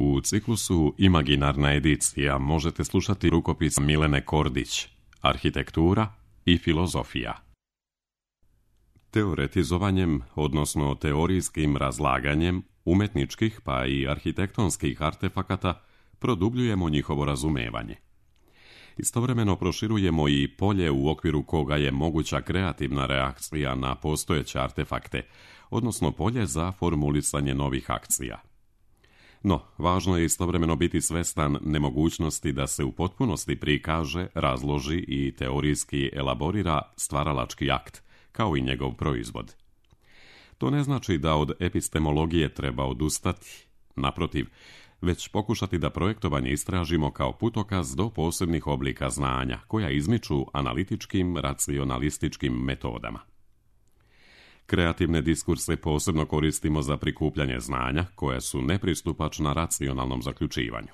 U ciklusu Imaginarna edicija možete slušati rukopis Milene Kordić, Arhitektura i filozofija. Teoretizovanjem, odnosno teorijskim razlaganjem umetničkih pa i arhitektonskih artefakata produbljujemo njihovo razumevanje. Istovremeno proširujemo i polje u okviru koga je moguća kreativna reakcija na postojeće artefakte, odnosno polje za formulisanje novih akcija. No, važno je istovremeno biti svestan nemogućnosti da se u potpunosti prikaže, razloži i teorijski elaborira stvaralački akt, kao i njegov proizvod. To ne znači da od epistemologije treba odustati, naprotiv, već pokušati da projektovanje istražimo kao putokaz do posebnih oblika znanja, koja izmiču analitičkim, racionalističkim metodama. Kreativne diskurse posebno koristimo za prikupljanje znanja, koja su nepristupačna racionalnom zaključivanju.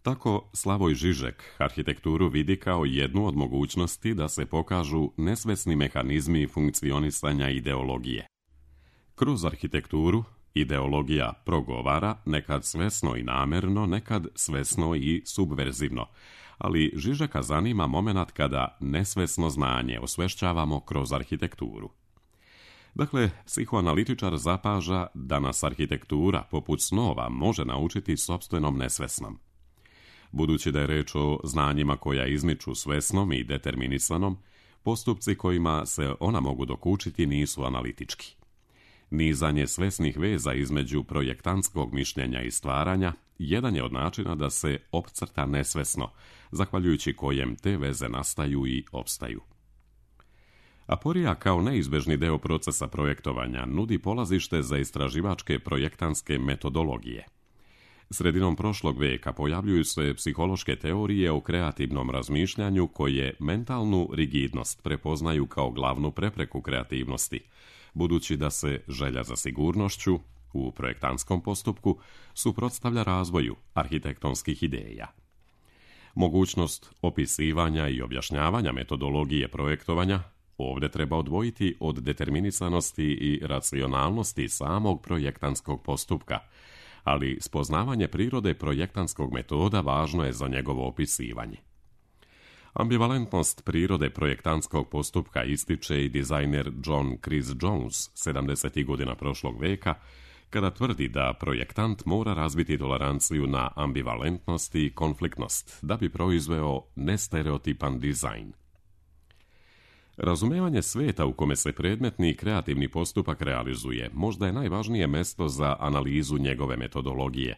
Tako Slavoj Žižek arhitekturu vidi kao jednu od mogućnosti da se pokažu nesvesni mehanizmi funkcionisanja ideologije. Kroz arhitekturu ideologija progovara, nekad svesno i namerno, nekad svesno i subverzivno, ali Žižeka zanima momenat kada nesvesno znanje osvešćavamo kroz arhitekturu. Dakle, psihoanalitičar zapaža da nas arhitektura, poput snova, može naučiti sopstvenom nesvesnom. Budući da je reč o znanjima koja izmiču svesnom i determinisanom, postupci kojima se ona mogu dokučiti nisu analitički. Nizanje svesnih veza između projektantskog mišljenja i stvaranja jedan je od načina da se opcrta nesvesno, zahvaljujući kojem te veze nastaju i opstaju. Aporija kao neizbežni deo procesa projektovanja nudi polazište za istraživačke projektantske metodologije. Sredinom prošlog veka pojavljuju se psihološke teorije o kreativnom razmišljanju koje mentalnu rigidnost prepoznaju kao glavnu prepreku kreativnosti, budući da se želja za sigurnošću u projektantskom postupku suprotstavlja razvoju arhitektonskih ideja. Mogućnost opisivanja i objašnjavanja metodologije projektovanja ovdje treba odvojiti od determinisanosti i racionalnosti samog projektantskog postupka, ali spoznavanje prirode projektantskog metoda važno je za njegovo opisivanje. Ambivalentnost prirode projektantskog postupka ističe i dizajner John Chris Jones 70. godina prošlog veka, kada tvrdi da projektant mora razviti toleranciju na ambivalentnost i konfliktnost da bi proizveo nestereotipan dizajn. Razumevanje sveta u kome se predmetni i kreativni postupak realizuje možda je najvažnije mesto za analizu njegove metodologije,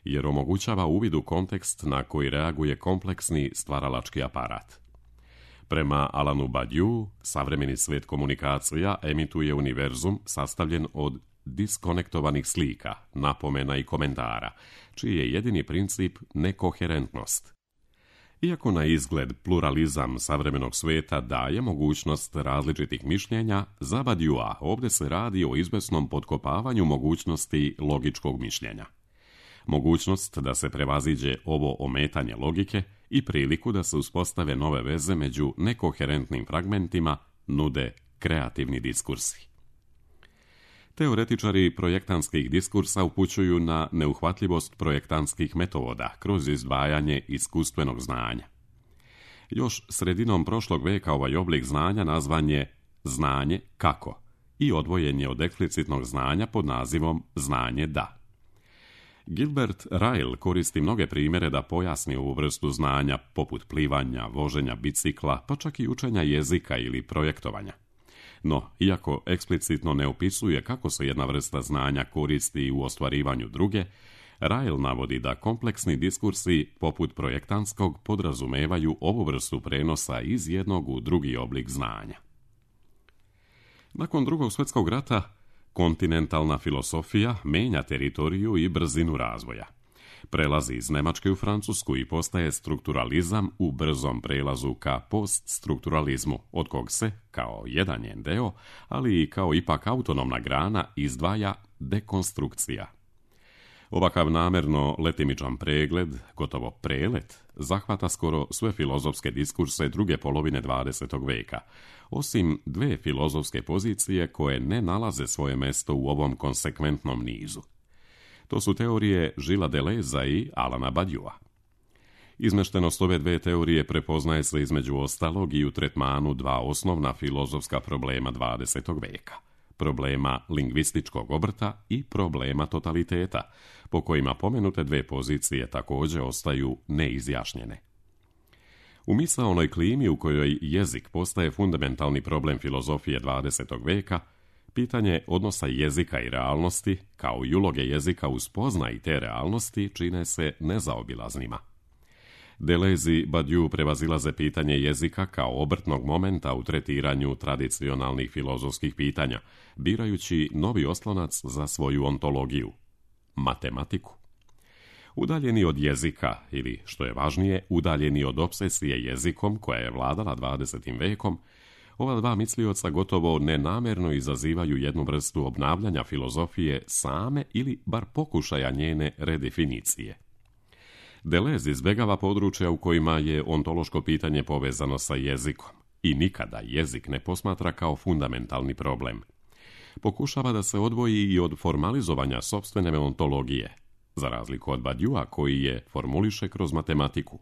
jer omogućava uvid u kontekst na koji reaguje kompleksni stvaralački aparat. Prema Alanu Badiou, savremeni svet komunikacija emituje univerzum sastavljen od diskonektovanih slika, napomena i komentara, čiji je jedini princip nekoherentnost. Iako na izgled pluralizam savremenog sveta daje mogućnost različitih mišljenja, za Badioua ovdje se radi o izvesnom potkopavanju mogućnosti logičkog mišljenja. Mogućnost da se prevaziđe ovo ometanje logike i priliku da se uspostave nove veze među nekoherentnim fragmentima nude kreativni diskursi. Teoretičari projektantskih diskursa upućuju na neuhvatljivost projektantskih metoda kroz izdvajanje iskustvenog znanja. Još sredinom prošlog veka ovaj oblik znanja nazvan je znanje kako i odvojen je od eksplicitnog znanja pod nazivom znanje da. Gilbert Ryle koristi mnoge primjere da pojasni ovu vrstu znanja, poput plivanja, voženja bicikla, pa čak i učenja jezika ili projektovanja. No, iako eksplicitno ne opisuje kako se jedna vrsta znanja koristi u ostvarivanju druge, Ryle navodi da kompleksni diskursi, poput projektantskog, podrazumevaju ovu vrstu prenosa iz jednog u drugi oblik znanja. Nakon Drugog svjetskog rata, kontinentalna filosofija menja teritoriju i brzinu razvoja. Prelazi iz Njemačke u Francusku i postaje strukturalizam u brzom prelazu ka poststrukturalizmu, od kog se, kao jedan njen deo, ali i kao ipak autonomna grana, izdvaja dekonstrukcija. Ovakav namerno letimičan pregled, gotovo prelet, zahvata skoro sve filozofske diskurse druge polovine 20. veka, osim dve filozofske pozicije koje ne nalaze svoje mesto u ovom konsekventnom nizu. To su teorije Gillesa Deleuza i Alana Badiouxa. Izmeštenost ove dve teorije prepoznaje se između ostalog i u tretmanu dva osnovna filozofska problema 20. veka. Problema lingvističkog obrta i problema totaliteta, po kojima pomenute dve pozicije također ostaju neizjašnjene. U misaonoj klimi u kojoj jezik postaje fundamentalni problem filozofije 20. veka, pitanje odnosa jezika i realnosti, kao i uloge jezika u spoznaji te realnosti, čine se nezaobilaznima. Deleuze i Badiou prevazilaze pitanje jezika kao obrtnog momenta u tretiranju tradicionalnih filozofskih pitanja, birajući novi oslonac za svoju ontologiju – matematiku. Udaljeni od jezika, ili što je važnije, udaljeni od obsesije jezikom koja je vladala 20. vekom, ova dva mislioca gotovo nenamjerno izazivaju jednu vrstu obnavljanja filozofije same ili bar pokušaja njene redefinicije. Deleuze izbjegava područja u kojima je ontološko pitanje povezano sa jezikom i nikada jezik ne posmatra kao fundamentalni problem. Pokušava da se odvoji i od formalizovanja sopstvene ontologije, za razliku od Badiouxa koji je formuliše kroz matematiku,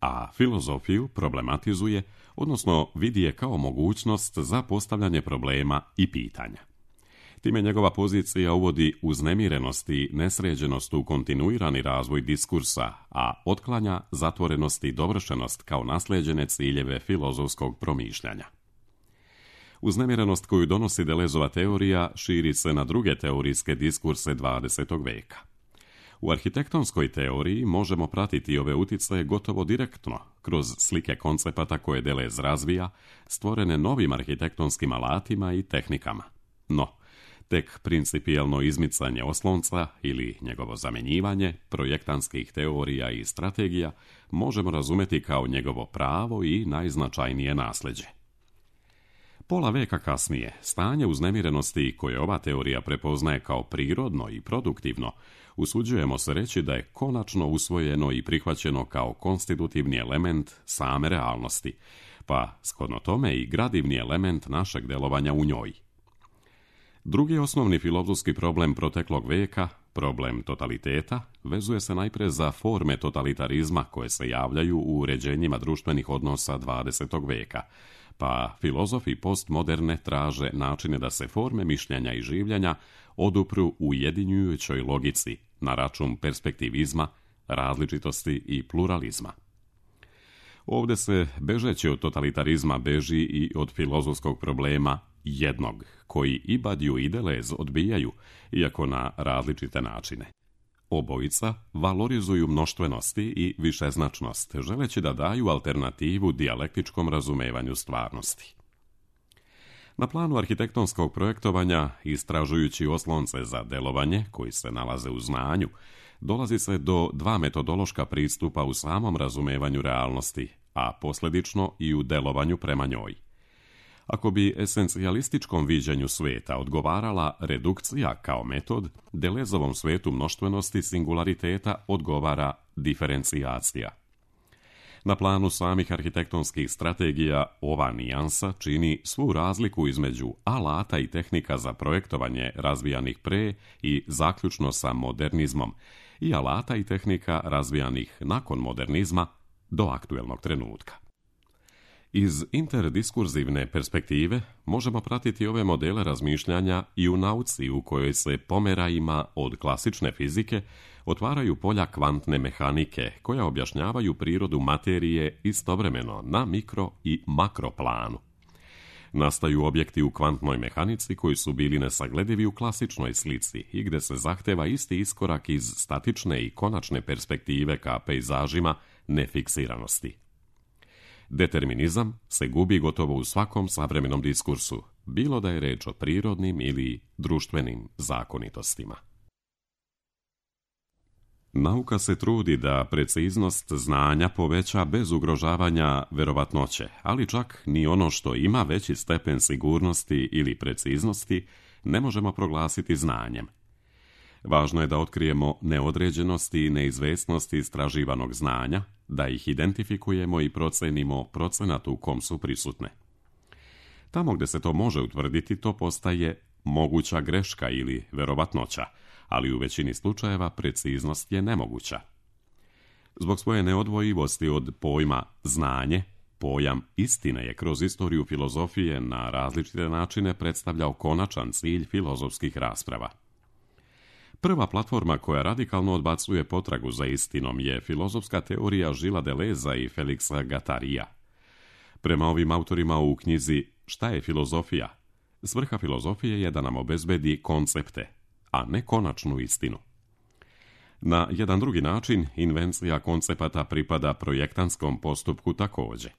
a filozofiju problematizuje, odnosno vidi je kao mogućnost za postavljanje problema i pitanja. Time njegova pozicija uvodi uznemirenost i nesređenost u kontinuirani razvoj diskursa, a otklanja zatvorenost i dovršenost kao naslijeđene ciljeve filozofskog promišljanja. Uznemirenost koju donosi Deleuzova teorija širi se na druge teorijske diskurse 20. veka. U arhitektonskoj teoriji možemo pratiti ove uticaje gotovo direktno, kroz slike koncepata koje Deleuze razvija, stvorene novim arhitektonskim alatima i tehnikama. No, tek principijelno izmicanje oslonca ili njegovo zamjenjivanje projektantskih teorija i strategija možemo razumjeti kao njegovo pravo i najznačajnije nasljeđe. Pola veka kasnije, stanje uznemirenosti koje ova teorija prepoznaje kao prirodno i produktivno, usuđujemo se reći da je konačno usvojeno i prihvaćeno kao konstitutivni element same realnosti, pa shodno tome i gradivni element našeg delovanja u njoj. Drugi osnovni filozofski problem proteklog veka, problem totaliteta, vezuje se najprije za forme totalitarizma koje se javljaju u uređenjima društvenih odnosa 20. veka, pa filozofi postmoderne traže načine da se forme mišljenja i življenja odupru ujedinjujućoj logici na račun perspektivizma, različitosti i pluralizma. Ovdje se, bežeći od totalitarizma, beži i od filozofskog problema jednog, koji i Badiou i Deleuze odbijaju, iako na različite načine. Obojica valorizuju mnoštvenosti i višeznačnost, želeći da daju alternativu dijalektičkom razumevanju stvarnosti. Na planu arhitektonskog projektovanja, istražujući oslonce za delovanje, koji se nalaze u znanju, dolazi se do dva metodološka pristupa u samom razumevanju realnosti, a posljedično i u delovanju prema njoj. Ako bi esencijalističkom viđenju svijeta odgovarala redukcija kao metod, Deleuzovom svetu mnoštvenosti singulariteta odgovara diferencijacija. Na planu samih arhitektonskih strategija ova nijansa čini svu razliku između alata i tehnika za projektovanje razvijanih pre i zaključno sa modernizmom i alata i tehnika razvijanih nakon modernizma do aktuelnog trenutka. Iz interdiskurzivne perspektive možemo pratiti ove modele razmišljanja i u nauci u kojoj se pomerajima od klasične fizike otvaraju polja kvantne mehanike koja objašnjavaju prirodu materije istovremeno na mikro i makro planu. Nastaju objekti u kvantnoj mehanici koji su bili nesagledivi u klasičnoj slici i gdje se zahteva isti iskorak iz statične i konačne perspektive ka pejzažima nefiksiranosti. Determinizam se gubi gotovo u svakom savremenom diskursu, bilo da je reč o prirodnim ili društvenim zakonitostima. Nauka se trudi da preciznost znanja poveća bez ugrožavanja verovatnoće, ali čak ni ono što ima veći stepen sigurnosti ili preciznosti ne možemo proglasiti znanjem. Važno je da otkrijemo neodređenosti i neizvesnosti istraživanog znanja, da ih identifikujemo i procenimo procenat u kom su prisutne. Tamo gdje se to može utvrditi, to postaje moguća greška ili verovatnoća, ali u većini slučajeva preciznost je nemoguća. Zbog svoje neodvojivosti od pojma znanje, pojam istine je kroz istoriju filozofije na različite načine predstavljao konačan cilj filozofskih rasprava. Prva platforma koja radikalno odbacuje potragu za istinom je filozofska teorija Gillesa Deleuza i Felixa Guattari'a. Prema ovim autorima u knjizi Šta je filozofija? Svrha filozofije je da nam obezbedi koncepte, a ne konačnu istinu. Na jedan drugi način, invencija koncepata pripada projektanskom postupku također.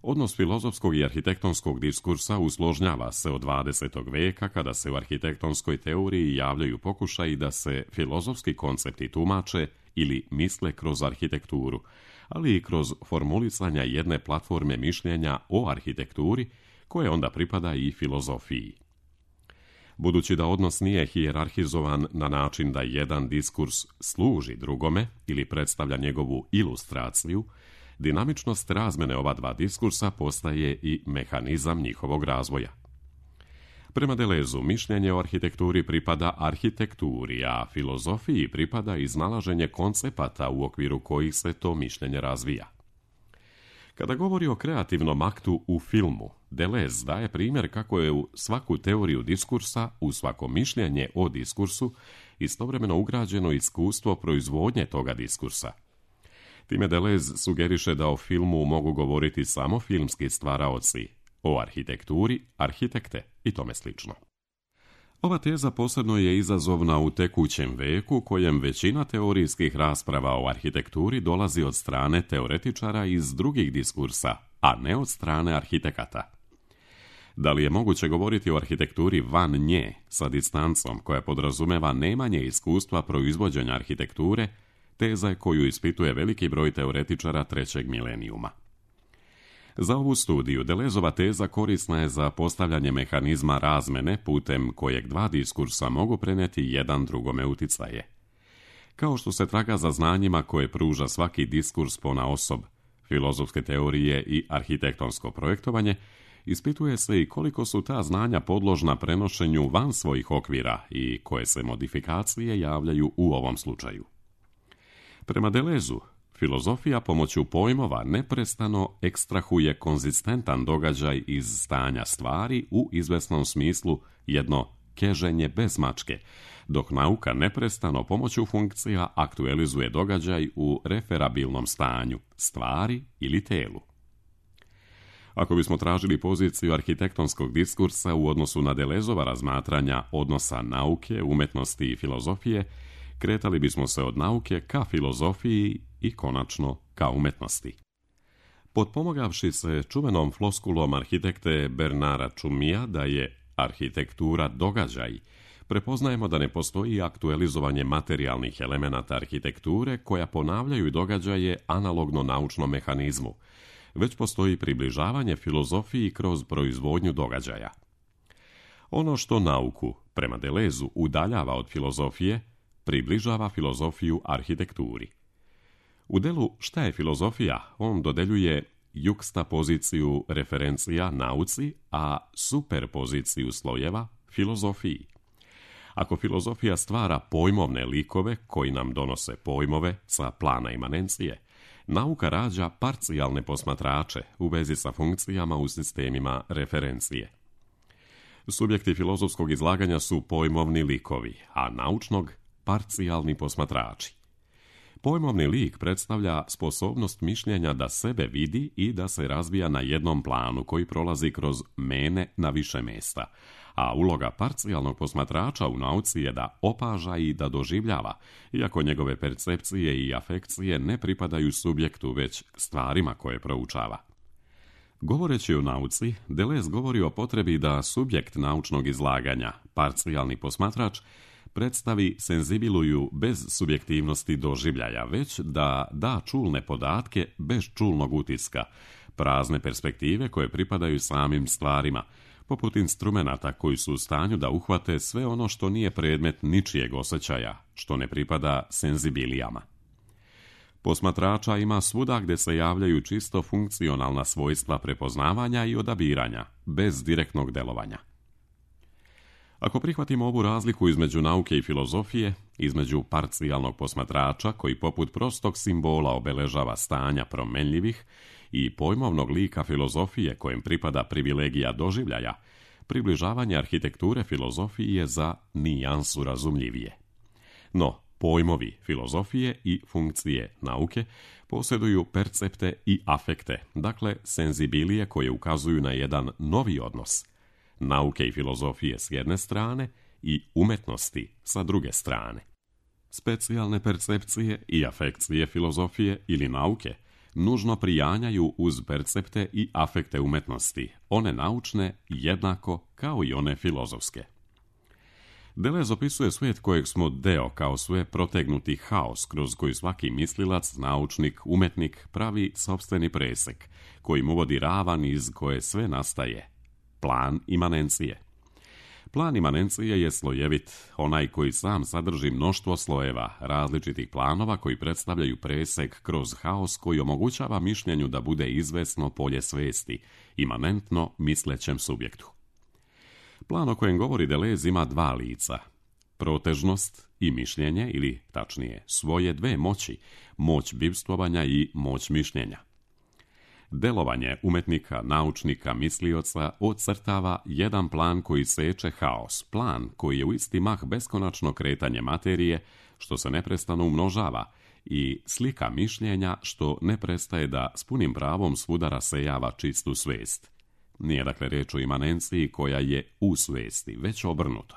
Odnos filozofskog i arhitektonskog diskursa usložnjava se od 20. veka kada se u arhitektonskoj teoriji javljaju pokušaji da se filozofski koncepti tumače ili misle kroz arhitekturu, ali i kroz formulisanja jedne platforme mišljenja o arhitekturi koje onda pripada i filozofiji. Budući da odnos nije hijerarhizovan na način da jedan diskurs služi drugome ili predstavlja njegovu ilustraciju, dinamičnost razmene ova dva diskursa postaje i mehanizam njihovog razvoja. Prema Deleuzu, mišljenje o arhitekturi pripada arhitekturi, a filozofiji pripada iznalaženje koncepata u okviru kojih se to mišljenje razvija. Kada govori o kreativnom aktu u filmu, Deleuze daje primjer kako je u svaku teoriju diskursa, u svako mišljenje o diskursu, istovremeno ugrađeno iskustvo proizvodnje toga diskursa. Time Deleuze sugeriše da o filmu mogu govoriti samo filmski stvaraoci, o arhitekturi, arhitekte i tome slično. Ova teza posebno je izazovna u tekućem veku, kojem većina teorijskih rasprava o arhitekturi dolazi od strane teoretičara iz drugih diskursa, a ne od strane arhitekata. Da li je moguće govoriti o arhitekturi van nje, sa distancom koja podrazumeva nemanje iskustva proizvođenja arhitekture, teza je koju ispituje veliki broj teoretičara trećeg milenijuma. Za ovu studiju Deleuzeova teza korisna je za postavljanje mehanizma razmene putem kojeg dva diskursa mogu prenijeti jedan drugome uticaje. Kao što se traga za znanjima koje pruža svaki diskurs ponaosob, filozofske teorije i arhitektonsko projektovanje, ispituje se i koliko su ta znanja podložna prenošenju van svojih okvira i koje se modifikacije javljaju u ovom slučaju. Prema Deleuzu, filozofija pomoću pojmova neprestano ekstrahuje konzistentan događaj iz stanja stvari u izvesnom smislu jedno keženje bez mačke, dok nauka neprestano pomoću funkcija aktualizuje događaj u referabilnom stanju, stvari ili telu. Ako bismo tražili poziciju arhitektonskog diskursa u odnosu na Deleuzeova razmatranja odnosa nauke, umetnosti i filozofije, kretali bismo se od nauke ka filozofiji i konačno ka umetnosti. Potpomogavši se čuvenom floskulom arhitekte Bernara Čumija da je arhitektura događaj, prepoznajemo da ne postoji aktualizovanje materijalnih elemenata arhitekture koja ponavljaju događaje analogno naučnom mehanizmu, već postoji približavanje filozofiji kroz proizvodnju događaja. Ono što nauku, prema Deleuzu, udaljava od filozofije, približava filozofiju arhitekturi. U delu Šta je filozofija, on dodeljuje jukstapoziciju referencija nauci, a superpoziciju slojeva filozofiji. Ako filozofija stvara pojmovne likove koji nam donose pojmove sa plana imanencije, nauka rađa parcijalne posmatrače u vezi sa funkcijama u sistemima referencije. Subjekti filozofskog izlaganja su pojmovni likovi, a naučnog parcijalni posmatrači. Pojmovni lik predstavlja sposobnost mišljenja da sebe vidi i da se razvija na jednom planu koji prolazi kroz mene na više mjesta, a uloga parcijalnog posmatrača u nauci je da opaža i da doživljava, iako njegove percepcije i afekcije ne pripadaju subjektu već stvarima koje proučava. Govoreći o nauci, Deleuze govori o potrebi da subjekt naučnog izlaganja, parcijalni posmatrač, predstavi senzibiluju bez subjektivnosti doživljaja, već da da čulne podatke bez čulnog utiska, prazne perspektive koje pripadaju samim stvarima, poput instrumenata koji su u stanju da uhvate sve ono što nije predmet ničijeg osjećaja, što ne pripada senzibilijama. Posmatrača ima svuda gdje se javljaju čisto funkcionalna svojstva prepoznavanja i odabiranja, bez direktnog delovanja. Ako prihvatimo ovu razliku između nauke i filozofije, između parcijalnog posmatrača koji poput prostog simbola obeležava stanja promenljivih i pojmovnog lika filozofije kojem pripada privilegija doživljaja, približavanje arhitekture filozofiji je za nijansu razumljivije. No, pojmovi filozofije i funkcije nauke posjeduju percepte i afekte, dakle senzibilije koje ukazuju na jedan novi odnos nauke i filozofije s jedne strane i umetnosti sa druge strane. Specijalne percepcije i afekcije filozofije ili nauke nužno prijanjaju uz percepte i afekte umetnosti, one naučne jednako kao i one filozofske. Deleuze opisuje svijet kojeg smo deo kao sve protegnuti haos kroz koji svaki mislilac, naučnik, umetnik pravi sopstveni presek, koji mu vodi ravan iz koje sve nastaje. Plan imanencije. Plan imanencije je slojevit, onaj koji sam sadrži mnoštvo slojeva, različitih planova koji predstavljaju presek kroz haos koji omogućava mišljenju da bude izvesno polje svesti, imanentno mislećem subjektu. Plan o kojem govori Deleuze ima dva lica, protežnost i mišljenje, ili tačnije svoje dve moći, moć bivstvovanja i moć mišljenja. Delovanje umetnika, naučnika, mislioca ocrtava jedan plan koji seče haos, plan koji je u isti mah beskonačno kretanje materije, što se neprestano umnožava, i slika mišljenja što ne prestaje da s punim pravom svuda rasejava čistu svest. Nije dakle riječ o imanenciji koja je u svesti, već obrnuto.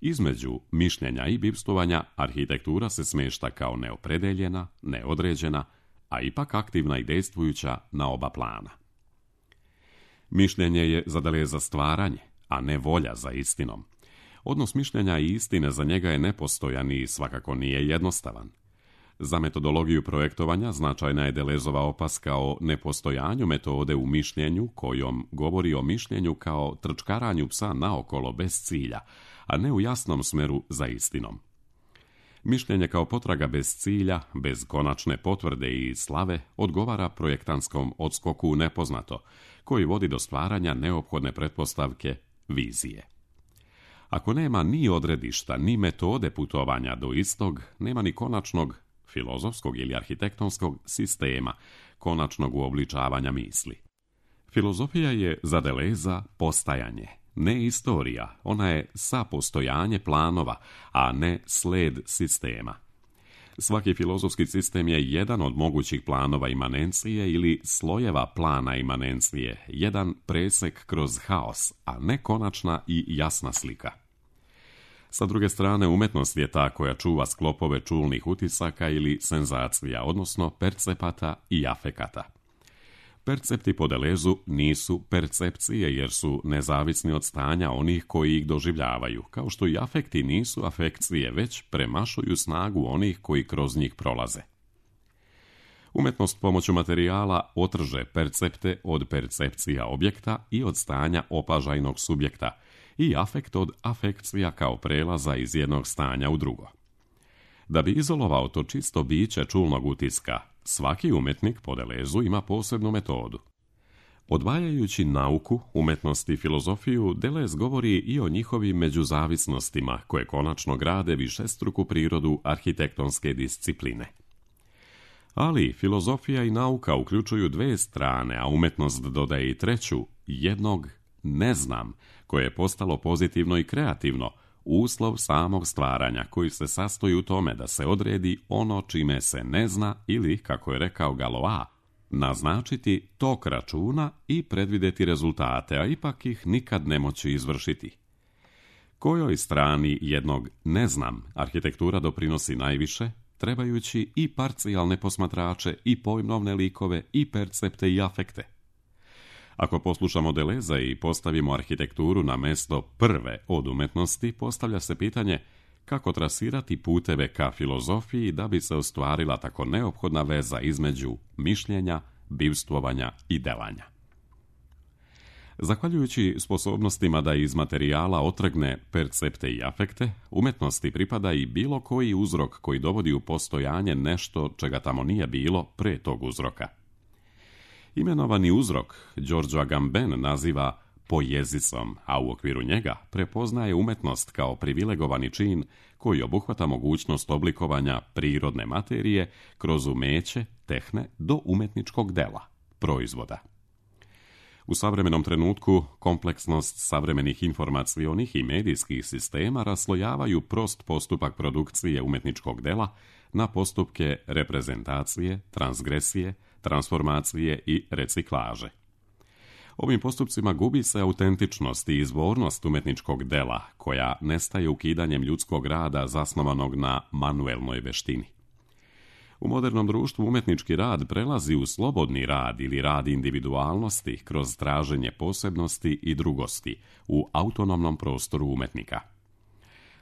Između mišljenja i bivstvovanja arhitektura se smješta kao neopredeljena, neodređena, a ipak aktivna i dejstvujuća na oba plana. Mišljenje je za Deleuze stvaranje, a ne volja za istinom. Odnos mišljenja i istine za njega je nepostojan i svakako nije jednostavan. Za metodologiju projektovanja značajna je Deleuzova opaska o nepostojanju metode u mišljenju, kojom govori o mišljenju kao trčkaranju psa naokolo bez cilja, a ne u jasnom smeru za istinom. Mišljenje kao potraga bez cilja, bez konačne potvrde i slave, odgovara projektanskom odskoku u nepoznato, koji vodi do stvaranja neophodne pretpostavke vizije. Ako nema ni odredišta, ni metode putovanja do istog, nema ni konačnog filozofskog ili arhitektonskog sistema, konačnog uobličavanja misli. Filozofija je za Deleuza postajanje, ne istorija, ona je sapostojanje planova, a ne sled sistema. Svaki filozofski sistem je jedan od mogućih planova imanencije ili slojeva plana imanencije, jedan presek kroz haos, a ne konačna i jasna slika. Sa druge strane, umetnost je ta koja čuva sklopove čulnih utisaka ili senzacija, odnosno percepata i afekata. Percepti po Deleuzu nisu percepcije jer su nezavisni od stanja onih koji ih doživljavaju, kao što i afekti nisu afekcije, već premašuju snagu onih koji kroz njih prolaze. Umetnost pomoću materijala otrže percepte od percepcija objekta i od stanja opažajnog subjekta, i afekt od afekcija kao prelaza iz jednog stanja u drugo. Da bi izolovao to čisto biće čulnog utiska, svaki umetnik po Deleuzu ima posebnu metodu. Odvajajući nauku, umetnost i filozofiju, Deleuze govori i o njihovim međuzavisnostima koje konačno grade višestruku prirodu arhitektonske discipline. Ali filozofija i nauka uključuju dve strane, a umetnost dodaje i treću, jednog ne znam, koje je postalo pozitivno i kreativno, uslov samog stvaranja koji se sastoji u tome da se odredi ono čime se ne zna ili, kako je rekao Galois, naznačiti tok računa i predvidjeti rezultate, a ipak ih nikad ne moći izvršiti. Kojoj strani jednog ne znam arhitektura doprinosi najviše, trebajući i parcijalne posmatrače, i pojmovne likove, i percepte i afekte. Ako poslušamo Deleuza i postavimo arhitekturu na mjesto prve od umetnosti, postavlja se pitanje kako trasirati puteve ka filozofiji da bi se ostvarila tako neophodna veza između mišljenja, bivstvovanja i delanja. Zahvaljujući sposobnostima da iz materijala otrgne percepte i afekte, umetnosti pripada i bilo koji uzrok koji dovodi u postojanje nešto čega tamo nije bilo pre tog uzroka. Imenovani uzrok Giorgio Agamben naziva poezicom, a u okviru njega prepoznaje umetnost kao privilegovani čin koji obuhvata mogućnost oblikovanja prirodne materije kroz umeće, tehne do umetničkog dela, proizvoda. U savremenom trenutku kompleksnost savremenih informacionih i medijskih sistema raslojavaju prost postupak produkcije umetničkog dela na postupke reprezentacije, transgresije, transformacije i reciklaže. Ovim postupcima gubi se autentičnost i izvornost umetničkog dela, koja nestaje ukidanjem ljudskog rada zasnovanog na manuelnoj veštini. U modernom društvu umetnički rad prelazi u slobodni rad ili rad individualnosti kroz traženje posebnosti i drugosti u autonomnom prostoru umetnika.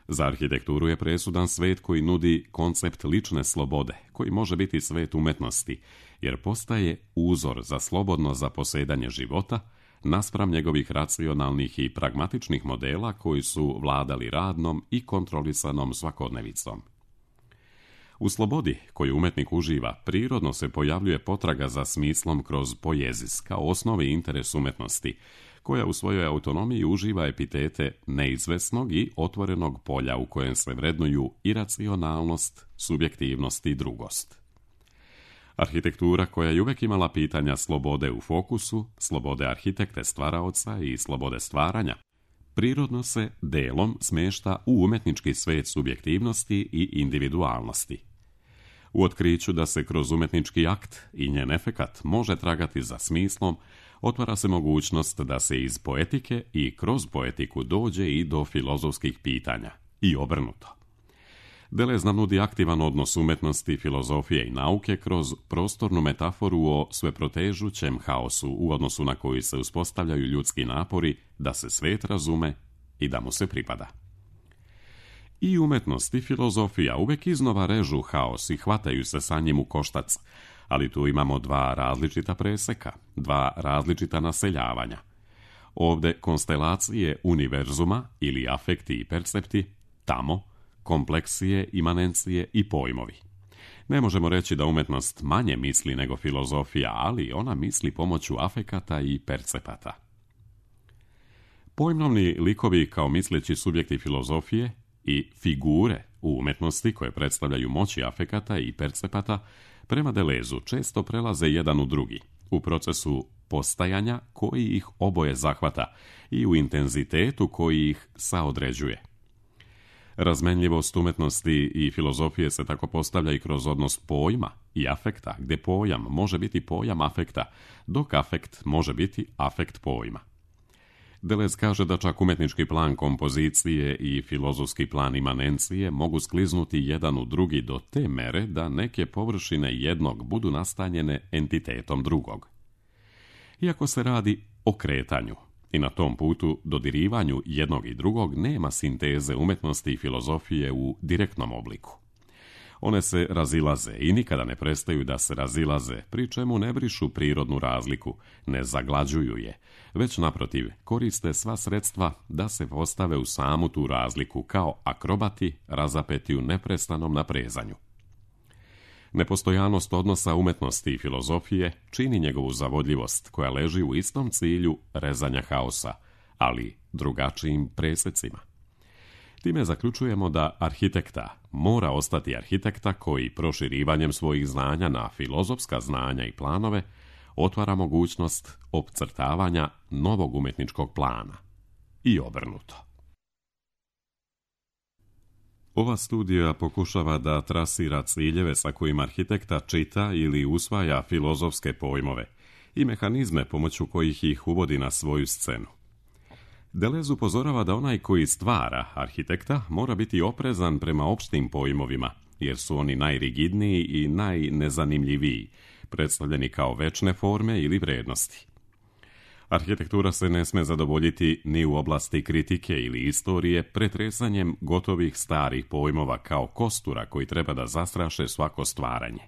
Za arhitekturu je presudan svet koji nudi koncept lične slobode, koji može biti svet umetnosti, jer postaje uzor za slobodno zaposedanje života naspram njegovih racionalnih i pragmatičnih modela koji su vladali radnom i kontrolisanom svakodnevicom. U slobodi koju umetnik uživa, prirodno se pojavljuje potraga za smislom kroz poezis, kao osnovi interes umetnosti, koja u svojoj autonomiji uživa epitete neizvesnog i otvorenog polja u kojem se vrednuju iracionalnost, subjektivnost i drugost. Arhitektura koja je uvek imala pitanja slobode u fokusu, slobode arhitekte stvaraoca i slobode stvaranja, prirodno se delom smešta u umetnički svet subjektivnosti i individualnosti. U otkriću da se kroz umetnički akt i njen efekat može tragati za smislom, otvara se mogućnost da se iz poetike i kroz poetiku dođe i do filozofskih pitanja, i obrnuto. Deleuze nam nudi aktivan odnos umetnosti, filozofije i nauke kroz prostornu metaforu o sveprotežućem haosu u odnosu na koji se uspostavljaju ljudski napori da se svet razume i da mu se pripada. I umetnost i filozofija uvek iznova režu haos i hvataju se sa njim u koštac, ali tu imamo dva različita preseka, dva različita naseljavanja. Ovde konstelacije univerzuma ili afekti i percepti, tamo kompleksije, imanencije i pojmovi. Ne možemo reći da umetnost manje misli nego filozofija, ali ona misli pomoću afekata i percepata. Pojmovni likovi kao misleći subjekti filozofije i figure u umetnosti koje predstavljaju moći afekata i percepata prema Deleuzu često prelaze jedan u drugi, u procesu postajanja koji ih oboje zahvata i u intenzitetu koji ih saodređuje. Razmenljivost umetnosti i filozofije se tako postavlja i kroz odnos pojma i afekta, gdje pojam može biti pojam afekta, dok afekt može biti afekt pojma. Deleuze kaže da čak umetnički plan kompozicije i filozofski plan imanencije mogu skliznuti jedan u drugi do te mere da neke površine jednog budu nastanjene entitetom drugog. Iako se radi o kretanju, i na tom putu dodirivanju jednog i drugog nema sinteze umetnosti i filozofije u direktnom obliku. One se razilaze i nikada ne prestaju da se razilaze, pri čemu ne brišu prirodnu razliku, ne zaglađuju je, već naprotiv koriste sva sredstva da se postave u samu tu razliku kao akrobati razapeti u neprestanom naprezanju. Nepostojanost odnosa umetnosti i filozofije čini njegovu zavodljivost koja leži u istom cilju rezanja haosa, ali drugačijim presecima. Time zaključujemo da arhitekta mora ostati arhitekta koji proširivanjem svojih znanja na filozofska znanja i planove otvara mogućnost opcrtavanja novog umetničkog plana. I obrnuto. Ova studija pokušava da trasira ciljeve sa kojima arhitekta čita ili usvaja filozofske pojmove i mehanizme pomoću kojih ih uvodi na svoju scenu. Deleuze upozorava da onaj koji stvara arhitekta mora biti oprezan prema opštim pojmovima, jer su oni najrigidniji i najnezanimljiviji, predstavljeni kao večne forme ili vrednosti. Arhitektura se ne sme zadovoljiti ni u oblasti kritike ili istorije pretresanjem gotovih starih pojmova kao kostura koji treba da zastraše svako stvaranje.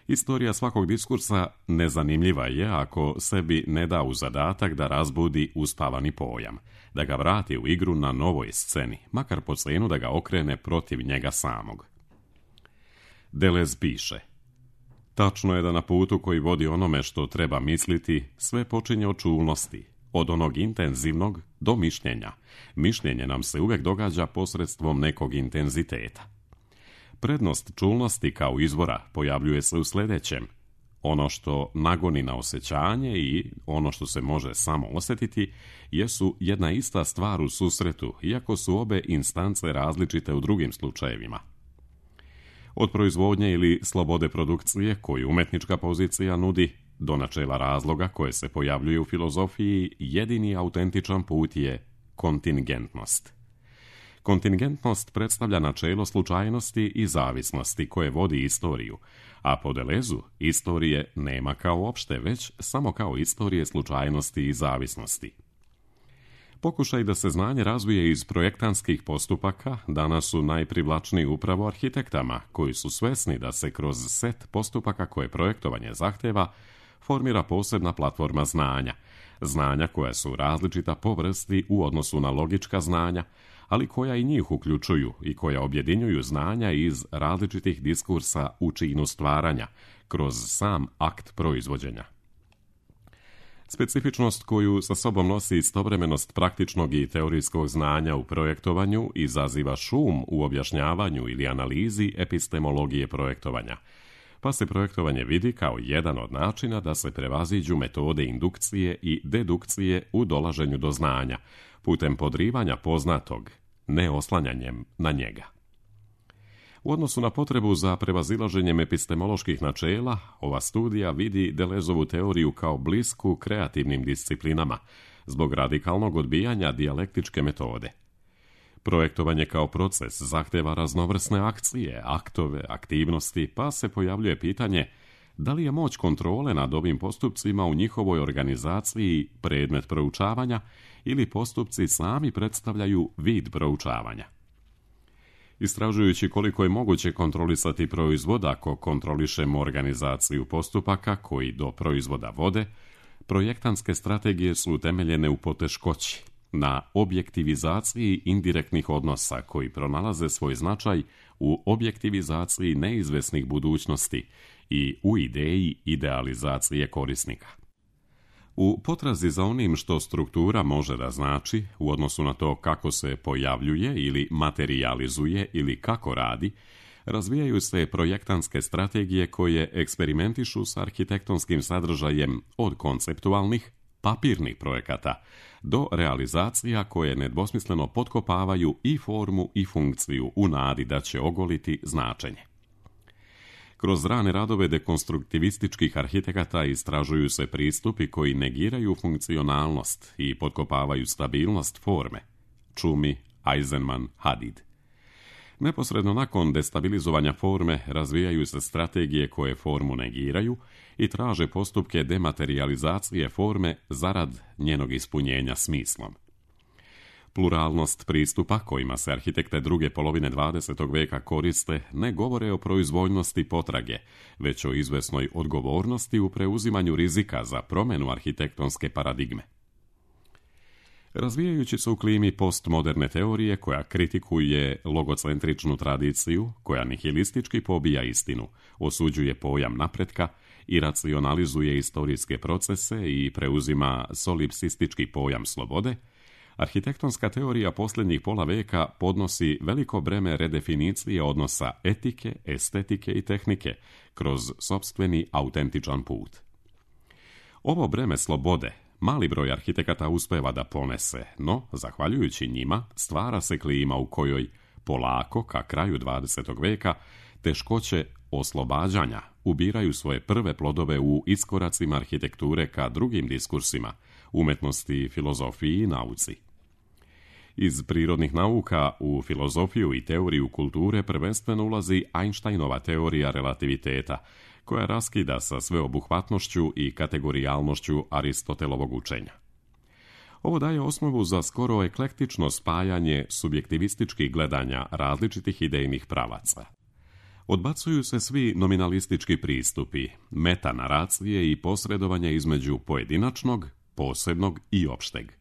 Istorija svakog diskursa nezanimljiva je ako sebi ne da u zadatak da razbudi uspavani pojam, da ga vrati u igru na novoj sceni, makar po cenu da ga okrene protiv njega samog. Deleuze piše: tačno je da na putu koji vodi onome što treba misliti, sve počinje od čulnosti, od onog intenzivnog do mišljenja. Mišljenje nam se uvijek događa posredstvom nekog intenziteta. Prednost čulnosti kao izvora pojavljuje se u sljedećem. Ono što nagoni na osjećanje i ono što se može samo osjetiti jesu jedna ista stvar u susretu, iako su obe instance različite u drugim slučajevima. Od proizvodnje ili slobode produkcije koju umetnička pozicija nudi, do načela razloga koje se pojavljuje u filozofiji, jedini autentičan put je kontingentnost. Kontingentnost predstavlja načelo slučajnosti i zavisnosti koje vodi istoriju, a po Delezu istorije nema kao opšte, već samo kao istorije slučajnosti i zavisnosti. Pokušaj da se znanje razvije iz projektantskih postupaka danas su najprivlačniji upravo arhitektama, koji su svesni da se kroz set postupaka koje projektovanje zahteva formira posebna platforma znanja, znanja koja su različita po vrsti u odnosu na logička znanja, ali koja i njih uključuju i koja objedinjuju znanja iz različitih diskursa u činu stvaranja, kroz sam akt proizvođenja. Specifičnost koju sa sobom nosi istovremenost praktičnog i teorijskog znanja u projektovanju izaziva šum u objašnjavanju ili analizi epistemologije projektovanja, pa se projektovanje vidi kao jedan od načina da se prevaziđu metode indukcije i dedukcije u dolaženju do znanja, putem podrivanja poznatog, ne oslanjanjem na njega. U odnosu na potrebu za prevazilaženjem epistemoloških načela, ova studija vidi Delezovu teoriju kao blisku kreativnim disciplinama, zbog radikalnog odbijanja dijalektičke metode. Projektovanje kao proces zahteva raznovrsne akcije, aktove, aktivnosti, pa se pojavljuje pitanje da li je moć kontrole nad ovim postupcima u njihovoj organizaciji predmet proučavanja ili postupci sami predstavljaju vid proučavanja. Istražujući koliko je moguće kontrolisati proizvod ako kontrolišemo organizaciju postupaka koji do proizvoda vode, projektantske strategije su utemeljene u poteškoći, na objektivizaciji indirektnih odnosa koji pronalaze svoj značaj u objektivizaciji neizvesnih budućnosti i u ideji idealizacije korisnika. U potrazi za onim što struktura može da znači, u odnosu na to kako se pojavljuje ili materijalizuje ili kako radi, razvijaju se projektantske strategije koje eksperimentišu s arhitektonskim sadržajem od konceptualnih, papirnih projekata do realizacija koje nedvosmisleno potkopavaju i formu i funkciju u nadi da će ogoliti značenje. Kroz rane radove dekonstruktivističkih arhitekata istražuju se pristupi koji negiraju funkcionalnost i potkopavaju stabilnost forme. Čumi, Eisenman, Hadid. Neposredno nakon destabilizovanja forme razvijaju se strategije koje formu negiraju i traže postupke dematerializacije forme zarad njenog ispunjenja smislom. Pluralnost pristupa kojima se arhitekte druge polovine 20. veka koriste ne govore o proizvoljnosti potrage, već o izvesnoj odgovornosti u preuzimanju rizika za promjenu arhitektonske paradigme. Razvijajući se u klimi postmoderne teorije koja kritikuje logocentričnu tradiciju, koja nihilistički pobija istinu, osuđuje pojam napretka i racionalizuje istorijske procese i preuzima solipsistički pojam slobode, arhitektonska teorija posljednjih pola veka podnosi veliko breme redefinicije odnosa etike, estetike i tehnike kroz sopstveni autentičan put. Ovo breme slobode mali broj arhitekata uspeva da ponese, no, zahvaljujući njima, stvara se klima u kojoj, polako, ka kraju 20. veka, teškoće oslobađanja ubiraju svoje prve plodove u iskoracima arhitekture ka drugim diskursima, umetnosti, filozofiji i nauci. Iz prirodnih nauka u filozofiju i teoriju kulture prvenstveno ulazi Einsteinova teorija relativiteta, koja raskida sa sveobuhvatnošću i kategorijalnošću Aristotelovog učenja. Ovo daje osnovu za skoro eklektično spajanje subjektivističkih gledanja različitih idejnih pravaca. Odbacuju se svi nominalistički pristupi, metanaracije i posredovanje između pojedinačnog, posebnog i opšteg.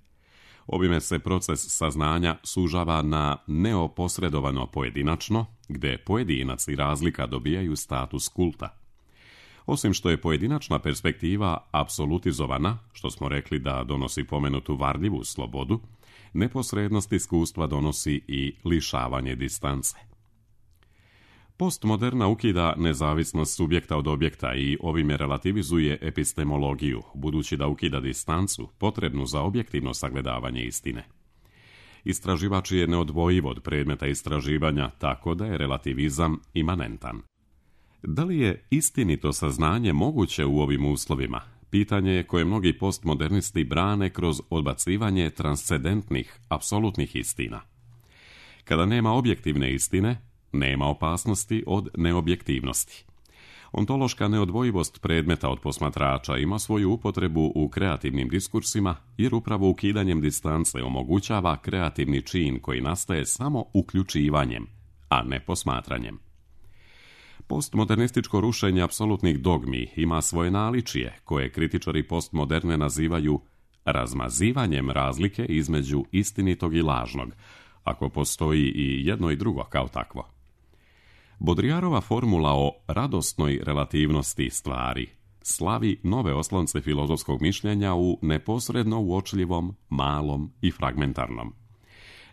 Ovime se proces saznanja sužava na neoposredovano pojedinačno, gde pojedinac i razlika dobijaju status kulta. Osim što je pojedinačna perspektiva apsolutizovana, što smo rekli da donosi pomenutu varljivu slobodu, neposrednost iskustva donosi i lišavanje distance. Postmoderna ukida nezavisnost subjekta od objekta i ovime relativizuje epistemologiju, budući da ukida distancu potrebnu za objektivno sagledavanje istine. Istraživač je neodvojiv od predmeta istraživanja, tako da je relativizam imanentan. Da li je istinito saznanje moguće u ovim uslovima? Pitanje je koje mnogi postmodernisti brane kroz odbacivanje transcendentnih, apsolutnih istina. Kada nema objektivne istine, nema opasnosti od neobjektivnosti. Ontološka neodvojivost predmeta od posmatrača ima svoju upotrebu u kreativnim diskursima, jer upravo ukidanjem distance omogućava kreativni čin koji nastaje samo uključivanjem, a ne posmatranjem. Postmodernističko rušenje apsolutnih dogmi ima svoje naličje, koje kritičari postmoderne nazivaju razmazivanjem razlike između istinitog i lažnog, ako postoji i jedno i drugo kao takvo. Baudrillardova formula o radosnoj relativnosti stvari slavi nove oslonce filozofskog mišljenja u neposredno uočljivom, malom i fragmentarnom.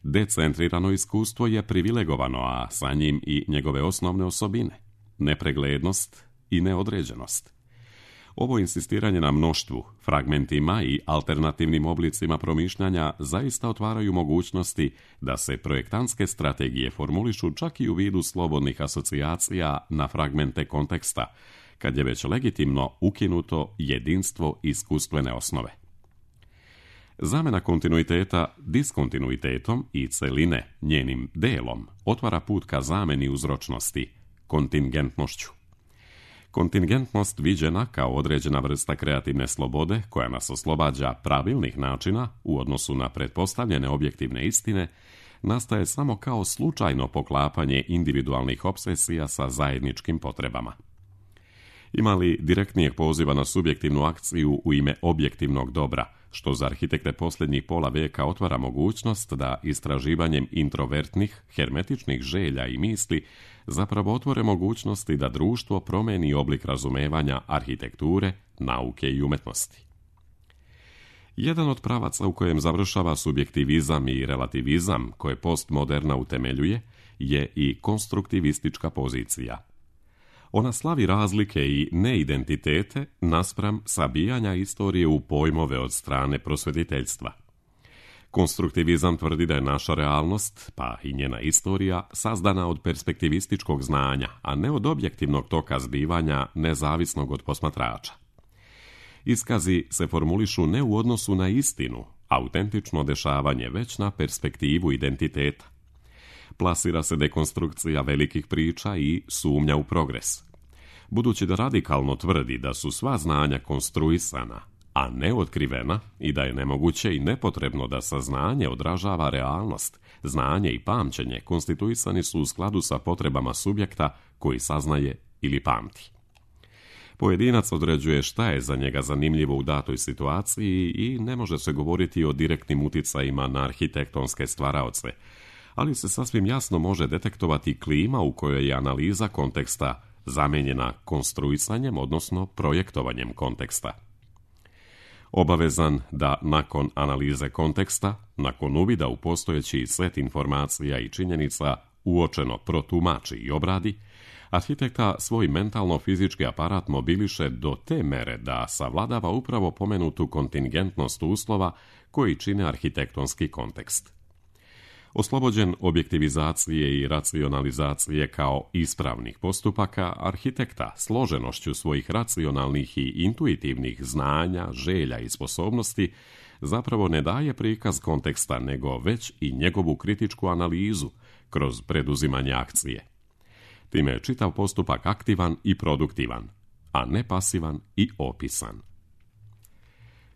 Decentrirano iskustvo je privilegovano, a sa njim i njegove osnovne osobine, nepreglednost i neodređenost. Ovo insistiranje na mnoštvu, fragmentima i alternativnim oblicima promišljanja zaista otvaraju mogućnosti da se projektantske strategije formulišu čak i u vidu slobodnih asocijacija na fragmente konteksta, kad je već legitimno ukinuto jedinstvo iskustvene osnove. Zamena kontinuiteta diskontinuitetom i celine njenim delom otvara put ka zameni uzročnosti, kontingentnošću. Kontingentnost viđena kao određena vrsta kreativne slobode koja nas oslobađa pravilnih načina u odnosu na pretpostavljene objektivne istine, nastaje samo kao slučajno poklapanje individualnih obsesija sa zajedničkim potrebama. Ima li direktnijeg poziva na subjektivnu akciju u ime objektivnog dobra, što za arhitekte posljednjih pola vijeka otvara mogućnost da istraživanjem introvertnih, hermetičnih želja i misli zapravo otvore mogućnosti da društvo promeni oblik razumevanja arhitekture, nauke i umetnosti. Jedan od pravaca u kojem završava subjektivizam i relativizam, koje postmoderna utemeljuje, je i konstruktivistička pozicija. Ona slavi razlike i neidentitete naspram sabijanja istorije u pojmove od strane prosvjetiteljstva. Konstruktivizam tvrdi da je naša realnost, pa i njena istorija, sazdana od perspektivističkog znanja, a ne od objektivnog toka zbivanja nezavisnog od posmatrača. Iskazi se formulišu ne u odnosu na istinu, autentično dešavanje, već na perspektivu identiteta. Plasira se dekonstrukcija velikih priča i sumnja u progres. Budući da radikalno tvrdi da su sva znanja konstruisana, a ne otkrivena, i da je nemoguće i nepotrebno da saznanje odražava realnost, znanje i pamćenje konstituisani su u skladu sa potrebama subjekta koji saznaje ili pamti. Pojedinac određuje šta je za njega zanimljivo u datoj situaciji i ne može se govoriti o direktnim uticajima na arhitektonske stvaraoce, ali se sasvim jasno može detektovati klima u kojoj je analiza konteksta zamijenjena konstruisanjem, odnosno projektovanjem konteksta. Obavezan da nakon analize konteksta, nakon uvida u postojeći set informacija i činjenica uočeno protumači i obradi, arhitekta svoj mentalno-fizički aparat mobiliše do te mere da savladava upravo pomenutu kontingentnost uslova koji čine arhitektonski kontekst. Oslobođen objektivizacije i racionalizacije kao ispravnih postupaka, arhitekta složenošću svojih racionalnih i intuitivnih znanja, želja i sposobnosti zapravo ne daje prikaz konteksta, nego već i njegovu kritičku analizu kroz preduzimanje akcije. Time je čitav postupak aktivan i produktivan, a ne pasivan i opisan.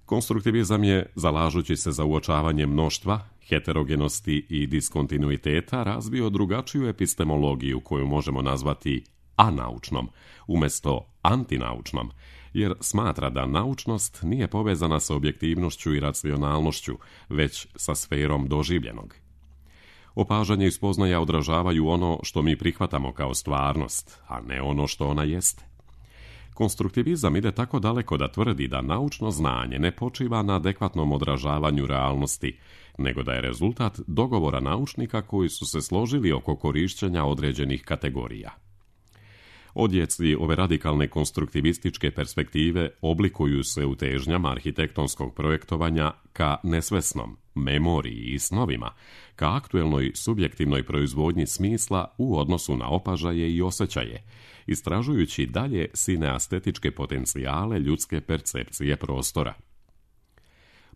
Konstruktivizam je, zalažući se za uočavanje mnoštva, heterogenosti i diskontinuiteta, razvio drugačiju epistemologiju koju možemo nazvati anaučnom, umjesto antinaučnom, jer smatra da naučnost nije povezana sa objektivnošću i racionalnošću, već sa sferom doživljenog. Opažanje i spoznaja odražavaju ono što mi prihvatamo kao stvarnost, a ne ono što ona jeste. Konstruktivizam ide tako daleko da tvrdi da naučno znanje ne počiva na adekvatnom odražavanju realnosti, nego da je rezultat dogovora naučnika koji su se složili oko korišćenja određenih kategorija. Odjeci ove radikalne konstruktivističke perspektive oblikuju se u težnjama arhitektonskog projektovanja ka nesvesnom, memoriji i snovima, ka aktuelnoj subjektivnoj proizvodnji smisla u odnosu na opažaje i osjećaje, istražujući dalje sineastetičke potencijale ljudske percepcije prostora.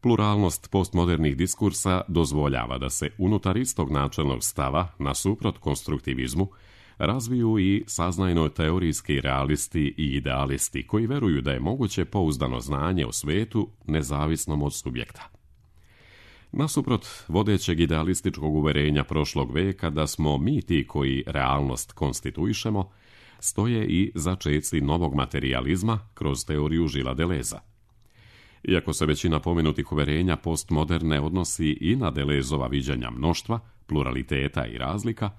Pluralnost postmodernih diskursa dozvoljava da se unutar istog načelnog stava, nasuprot konstruktivizmu, razviju i saznajno-teorijski realisti i idealisti koji veruju da je moguće pouzdano znanje o svetu nezavisnom od subjekta. Nasuprot vodećeg idealističkog uverenja prošlog veka da smo mi ti koji realnost konstituišemo, stoje i začeci novog materijalizma kroz teoriju Gillesa Deleuza. Iako se većina pomenutih uverenja postmoderne odnosi i na Deleuzeova viđenja mnoštva, pluraliteta i razlika,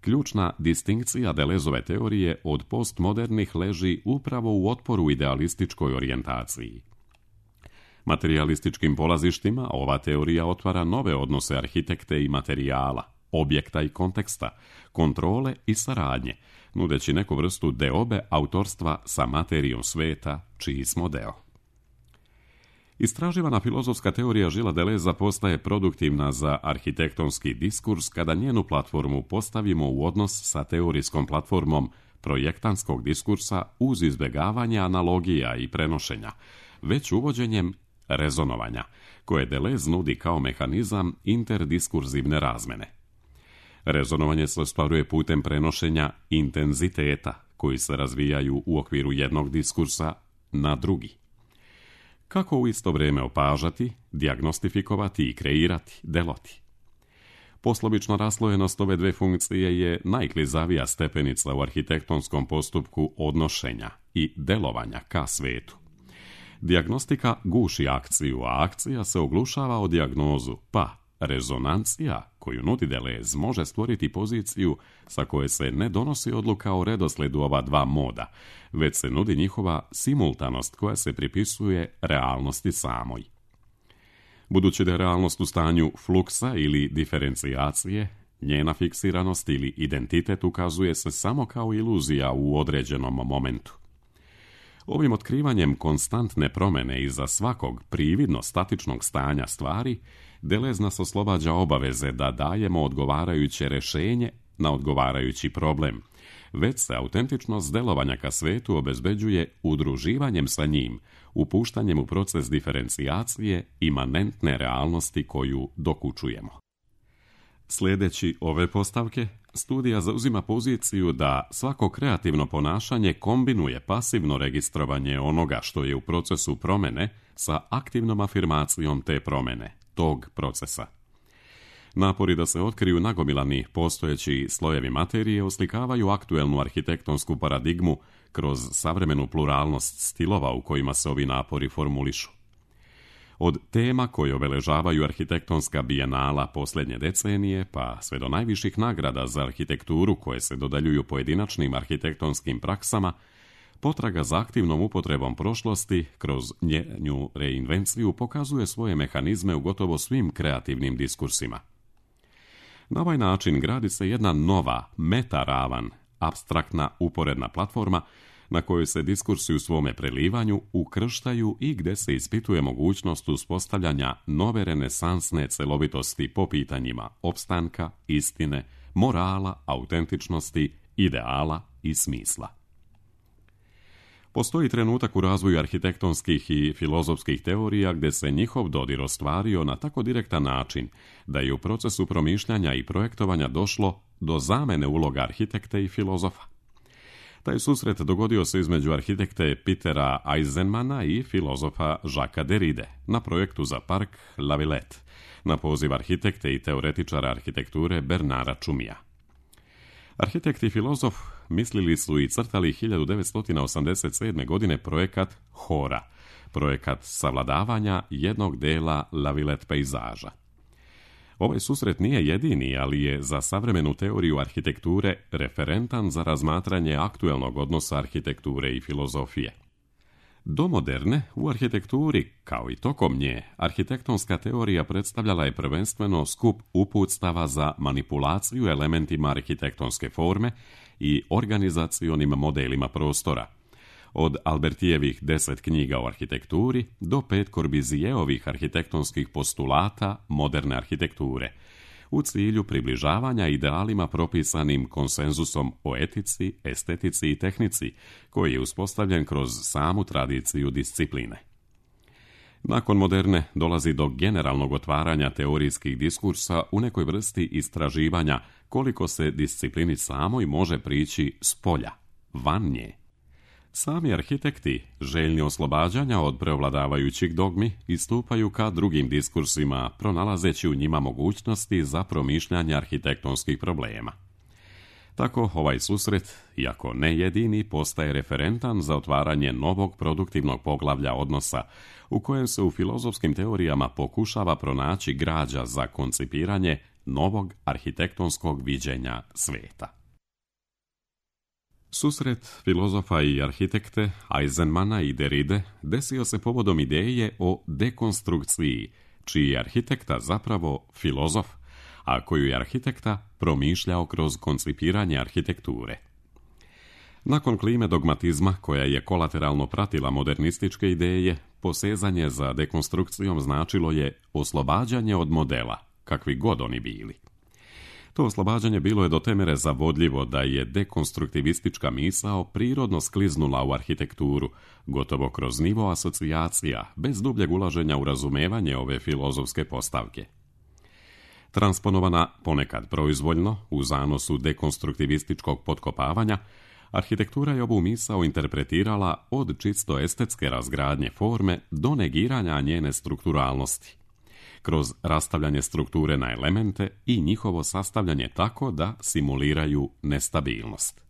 ključna distinkcija Deleuzeove teorije od postmodernih leži upravo u otporu idealističkoj orijentaciji. Materijalističkim polazištima ova teorija otvara nove odnose arhitekte i materijala, objekta i konteksta, kontrole i saradnje, nudeći neku vrstu deobe autorstva sa materijom sveta, čiji smo deo. Istraživana filozofska teorija Gillesa Deleuza postaje produktivna za arhitektonski diskurs kada njenu platformu postavimo u odnos sa teorijskom platformom projektantskog diskursa uz izbjegavanje analogija i prenošenja, već uvođenjem rezonovanja, koje Deleuze nudi kao mehanizam interdiskurzivne razmene. Rezonovanje se ostvaruje putem prenošenja intenziteta, koji se razvijaju u okviru jednog diskursa na drugi. Kako u isto vrijeme opažati, dijagnostifikovati i kreirati, deloti. Poslovična raslojenost ove dve funkcije je najklizavija stepenica u arhitektonskom postupku odnošenja i delovanja ka svetu. Dijagnostika guši akciju, a akcija se oglušava o dijagnozu, pa rezonancija koju nudi Deleuze može stvoriti poziciju sa koje se ne donosi odluka o redosledu ova dva moda, već se nudi njihova simultanost koja se pripisuje realnosti samoj. Budući da je realnost u stanju fluksa ili diferencijacije, njena fiksiranost ili identitet ukazuje se samo kao iluzija u određenom momentu. Ovim otkrivanjem konstantne promjene iza svakog prividno statičnog stanja stvari, Deleuze nas oslobađa obaveze da dajemo odgovarajuće rješenje na odgovarajući problem, već se autentičnost delovanja ka svetu obezbeđuje udruživanjem sa njim, upuštanjem u proces diferencijacije imanentne realnosti koju dokučujemo. Sljedeći ove postavke, studija zauzima poziciju da svako kreativno ponašanje kombinuje pasivno registrovanje onoga što je u procesu promjene sa aktivnom afirmacijom te promjene, tog procesa. Napori da se otkriju nagomilani postojeći slojevi materije oslikavaju aktuelnu arhitektonsku paradigmu kroz savremenu pluralnost stilova u kojima se ovi napori formulišu. Od tema koje obeležavaju arhitektonska bijenala posljednje decenije, pa sve do najviših nagrada za arhitekturu koje se dodjeljuju pojedinačnim arhitektonskim praksama, potraga za aktivnom upotrebom prošlosti kroz njenu reinvenciju pokazuje svoje mehanizme u gotovo svim kreativnim diskursima. Na ovaj način gradi se jedna nova, metaravan, apstraktna uporedna platforma na kojoj se diskursi u svome prelivanju ukrštaju i gdje se ispituje mogućnost uspostavljanja nove renesansne celovitosti po pitanjima opstanka, istine, morala, autentičnosti, ideala i smisla. Postoji trenutak u razvoju arhitektonskih i filozofskih teorija gdje se njihov dodir ostvario na tako direktan način da je u procesu promišljanja i projektovanja došlo do zamene uloga arhitekte i filozofa. Taj susret dogodio se između arhitekte Petera Eisenmana i filozofa Jacquesa Derride na projektu za park La Villette, na poziv arhitekte i teoretičara arhitekture Bernarda Čumija. Arhitekt i filozof mislili su i crtali 1987. godine projekat Hora, projekat savladavanja jednog dela La Villette pejzaža. Ovaj susret nije jedini, ali je za savremenu teoriju arhitekture referentan za razmatranje aktuelnog odnosa arhitekture i filozofije. Do moderne, u arhitekturi, kao i tokom nje, arhitektonska teorija predstavljala je prvenstveno skup uputstava za manipulaciju elementima arhitektonske forme i organizacionim modelima prostora. Od Albertijevih 10 knjiga o arhitekturi do 5 Corbusijeovih arhitektonskih postulata moderne arhitekture, u cilju približavanja idealima propisanim konsenzusom o etici, estetici i tehnici, koji je uspostavljen kroz samu tradiciju discipline. Nakon moderne dolazi do generalnog otvaranja teorijskih diskursa u nekoj vrsti istraživanja koliko se disciplini samoj može prići s polja, van nje. Sami arhitekti, željni oslobađanja od preovladavajućih dogmi, istupaju ka drugim diskursima, pronalazeći u njima mogućnosti za promišljanje arhitektonskih problema. Tako ovaj susret, iako ne jedini, postaje referentan za otvaranje novog produktivnog poglavlja odnosa, u kojem se u filozofskim teorijama pokušava pronaći građa za koncipiranje novog arhitektonskog viđenja sveta. Susret filozofa i arhitekte Eisenmana i Derride desio se povodom ideje o dekonstrukciji, čiji je arhitekta zapravo filozof, a koju je arhitekta promišljao kroz koncipiranje arhitekture. Nakon klime dogmatizma, koja je kolateralno pratila modernističke ideje, posezanje za dekonstrukcijom značilo je oslobađanje od modela, kakvi god oni bili. To oslobađanje bilo je do te mere zavodljivo da je dekonstruktivistička misao prirodno skliznula u arhitekturu, gotovo kroz nivo asocijacija, bez dubljeg ulaženja u razumevanje ove filozofske postavke. Transponovana ponekad proizvoljno, u zanosu dekonstruktivističkog potkopavanja, arhitektura je ovu misao interpretirala od čisto estetske razgradnje forme do negiranja njene strukturalnosti, kroz rastavljanje strukture na elemente i njihovo sastavljanje tako da simuliraju nestabilnost.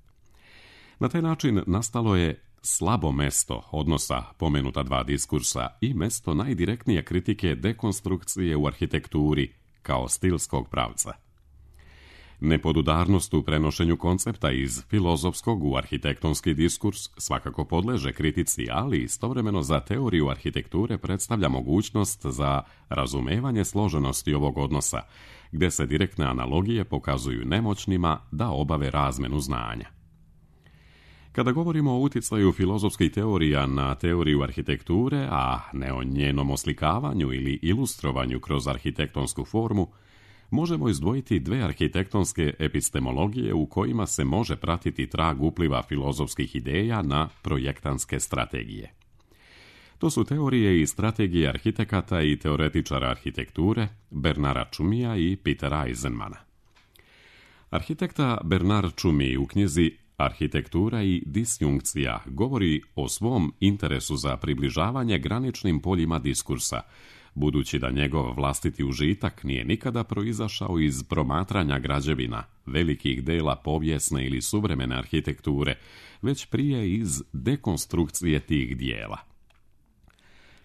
Na taj način nastalo je slabo mesto odnosa pomenuta dva diskursa i mesto najdirektnije kritike dekonstrukcije u arhitekturi kao stilskog pravca. Nepodudarnost u prenošenju koncepta iz filozofskog u arhitektonski diskurs svakako podleže kritici, ali istovremeno za teoriju arhitekture predstavlja mogućnost za razumevanje složenosti ovog odnosa, gdje se direktne analogije pokazuju nemoćnima da obave razmenu znanja. Kada govorimo o utjecaju filozofskih teorija na teoriju arhitekture, a ne o njenom oslikavanju ili ilustrovanju kroz arhitektonsku formu, možemo izdvojiti dve arhitektonske epistemologije u kojima se može pratiti trag upliva filozofskih ideja na projektantske strategije. To su teorije i strategije arhitekata i teoretičara arhitekture Bernarda Tschumija i Petera Eisenmana. Arhitekta Bernard Tschumi u knjizi Arhitektura i disjunkcija govori o svom interesu za približavanje graničnim poljima diskursa, budući da njegov vlastiti užitak nije nikada proizašao iz promatranja građevina, velikih dela povijesne ili suvremene arhitekture, već prije iz dekonstrukcije tih dijela.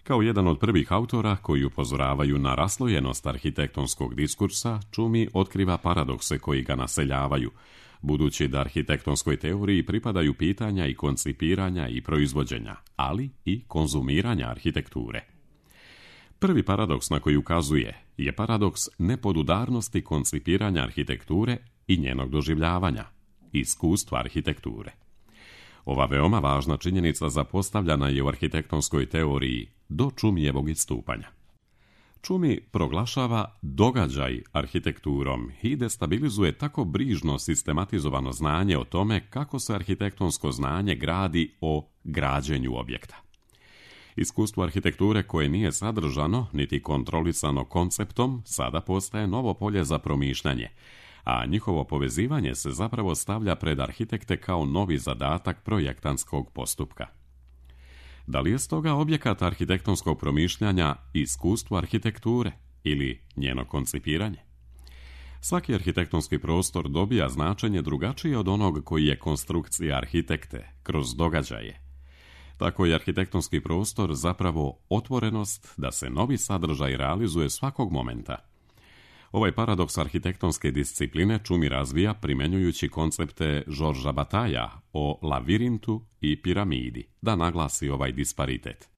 Kao jedan od prvih autora koji upozoravaju na raslojenost arhitektonskog diskursa, Tschumi otkriva paradokse koji ga naseljavaju, budući da arhitektonskoj teoriji pripadaju pitanja i koncipiranja i proizvođenja, ali i konzumiranja arhitekture. Prvi paradoks na koji ukazuje je paradoks nepodudarnosti koncipiranja arhitekture i njenog doživljavanja, iskustva arhitekture. Ova veoma važna činjenica zapostavljana je u arhitektonskoj teoriji do Tschumijevog istupanja. Tschumi proglašava događaj arhitekturom i destabilizuje tako brižno sistematizovano znanje o tome kako se arhitektonsko znanje gradi o građenju objekta. Iskustvo arhitekture koje nije sadržano niti kontrolisano konceptom sada postaje novo polje za promišljanje, a njihovo povezivanje se zapravo stavlja pred arhitekte kao novi zadatak projektantskog postupka. Da li je stoga objekat arhitektonskog promišljanja iskustvo arhitekture ili njeno koncipiranje? Svaki arhitektonski prostor dobija značenje drugačije od onog koji je konstrukcija arhitekte kroz događaje. Tako je arhitektonski prostor zapravo otvorenost da se novi sadržaj realizuje svakog momenta. Ovaj paradoks arhitektonske discipline Čumi razvija primjenjujući koncepte Georgesa Bataillea o lavirintu i piramidi, da naglasi ovaj disparitet.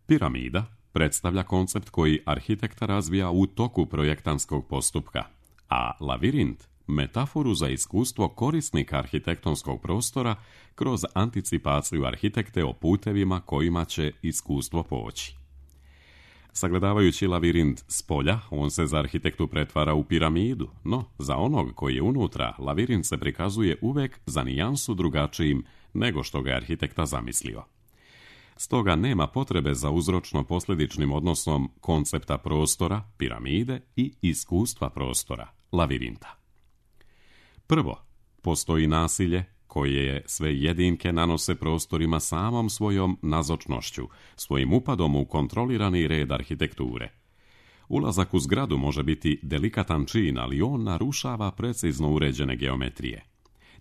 Piramida predstavlja koncept koji arhitekta razvija u toku projektantskog postupka, a lavirint metaforu za iskustvo korisnika arhitektonskog prostora kroz anticipaciju arhitekte o putevima kojima će iskustvo poći. Sagledavajući lavirint s polja, on se za arhitektu pretvara u piramidu, no za onog koji je unutra, lavirint se prikazuje uvek za nijansu drugačijim nego što ga je arhitekta zamislio. Stoga nema potrebe za uzročno-posljedičnim odnosom koncepta prostora, piramide i iskustva prostora, lavirinta. Prvo, postoji nasilje koje sve jedinke nanose prostorima samom svojom nazočnošću, svojim upadom u kontrolirani red arhitekture. Ulazak u zgradu može biti delikatan čin, ali on narušava precizno uređene geometrije.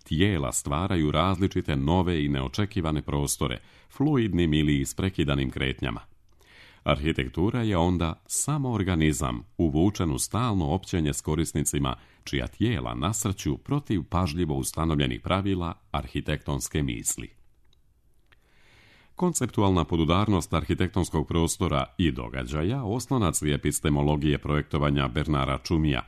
Tijela stvaraju različite nove i neočekivane prostore, fluidnim ili isprekidanim kretnjama. Arhitektura je onda samo organizam, uvučen u stalno općenje s korisnicima, čija tijela nasrću protiv pažljivo ustanovljenih pravila arhitektonske misli. Konceptualna podudarnost arhitektonskog prostora i događaja oslonac je epistemologije projektovanja Bernara Čumija